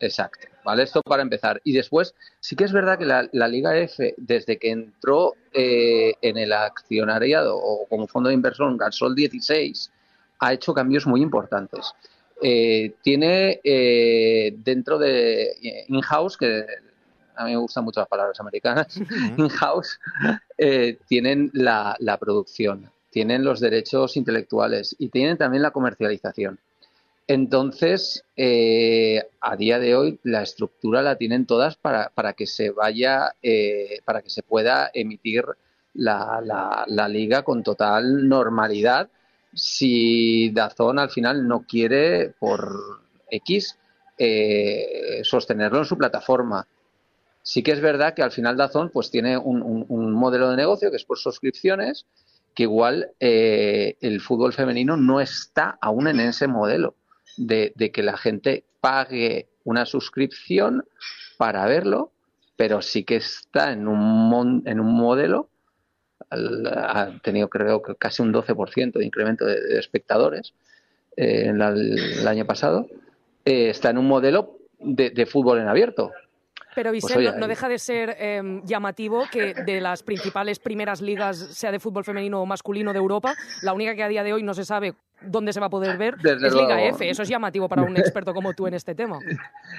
¿Vale? Esto para empezar. Y después, sí que es verdad que la Liga F, desde que entró en el accionariado o como fondo de inversión Gasol 16, ha hecho cambios muy importantes. Tiene dentro de in-house, que a mí me gustan mucho las palabras americanas, in-house, tienen la producción, tienen los derechos intelectuales y tienen también la comercialización. Entonces, a día de hoy, la estructura la tienen todas para que se vaya, para que se pueda emitir la liga con total normalidad. Si DAZN al final no quiere, por X, sostenerlo en su plataforma. Sí que es verdad que al final DAZN pues tiene un modelo de negocio que es por suscripciones, que igual el fútbol femenino no está aún en ese modelo de que la gente pague una suscripción para verlo, pero sí que está en un modelo. Ha tenido, creo que casi un 12% de incremento de espectadores el año pasado. Está en un modelo de fútbol en abierto. Pero, Vicent, pues, no deja de ser llamativo que de las principales primeras ligas, sea de fútbol femenino o masculino de Europa, la única que a día de hoy no se sabe dónde se va a poder ver es Liga F. Eso es llamativo para un experto como tú en este tema.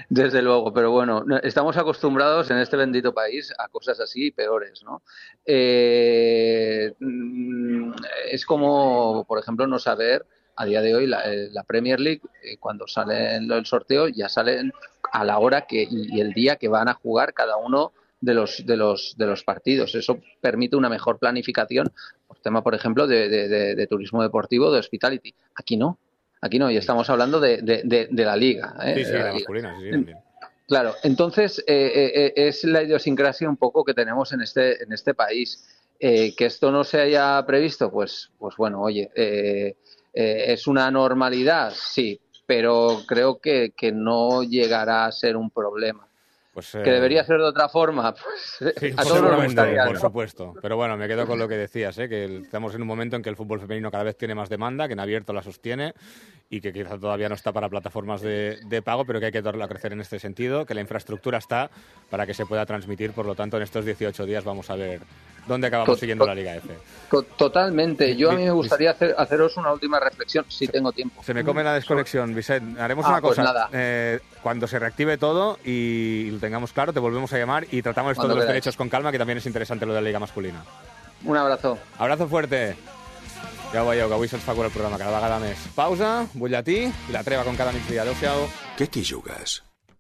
Desde luego, pero bueno, estamos acostumbrados en este bendito país a cosas así y peores, ¿no? Es como, por ejemplo, no saber a día de hoy la Premier League, cuando sale el sorteo, ya salen a la hora y el día que van a jugar cada uno de los partidos. Eso permite una mejor planificación, por tema, por ejemplo, de turismo deportivo, de hospitality. Aquí no, y estamos hablando de la liga. Sí, la masculina, sí, también. Claro, entonces es la idiosincrasia un poco que tenemos en este país. Que esto no se haya previsto, pues bueno, oye, ¿es una normalidad? Sí, pero creo que no llegará a ser un problema. Pues, ¿Que debería ser de otra forma? Pues sí, a todos nos gustaría, por ¿no? supuesto. Pero bueno, me quedo con lo que decías, que estamos en un momento en que el fútbol femenino cada vez tiene más demanda, que en abierto la sostiene y que quizá todavía no está para plataformas de pago, pero que hay que darle a crecer en este sentido, que la infraestructura está para que se pueda transmitir. Por lo tanto, en estos 18 días vamos a ver dónde acabamos siguiendo la Liga F. Totalmente. Yo a mí me gustaría haceros una última reflexión, si tengo tiempo. Se me come la desconexión, Vicent. Haremos una cosa. Pues nada. Cuando se reactive todo y lo tengamos claro, te volvemos a llamar y tratamos esto de los derechos con calma, que también es interesante lo de la Liga masculina. Un abrazo. Abrazo fuerte. Ja ho veieu, que avui se'ns fa cura el programa cada vegada més. Pausa, butlletí i la treva com cada migdia. Adéu-siau. Què t'hi jugues?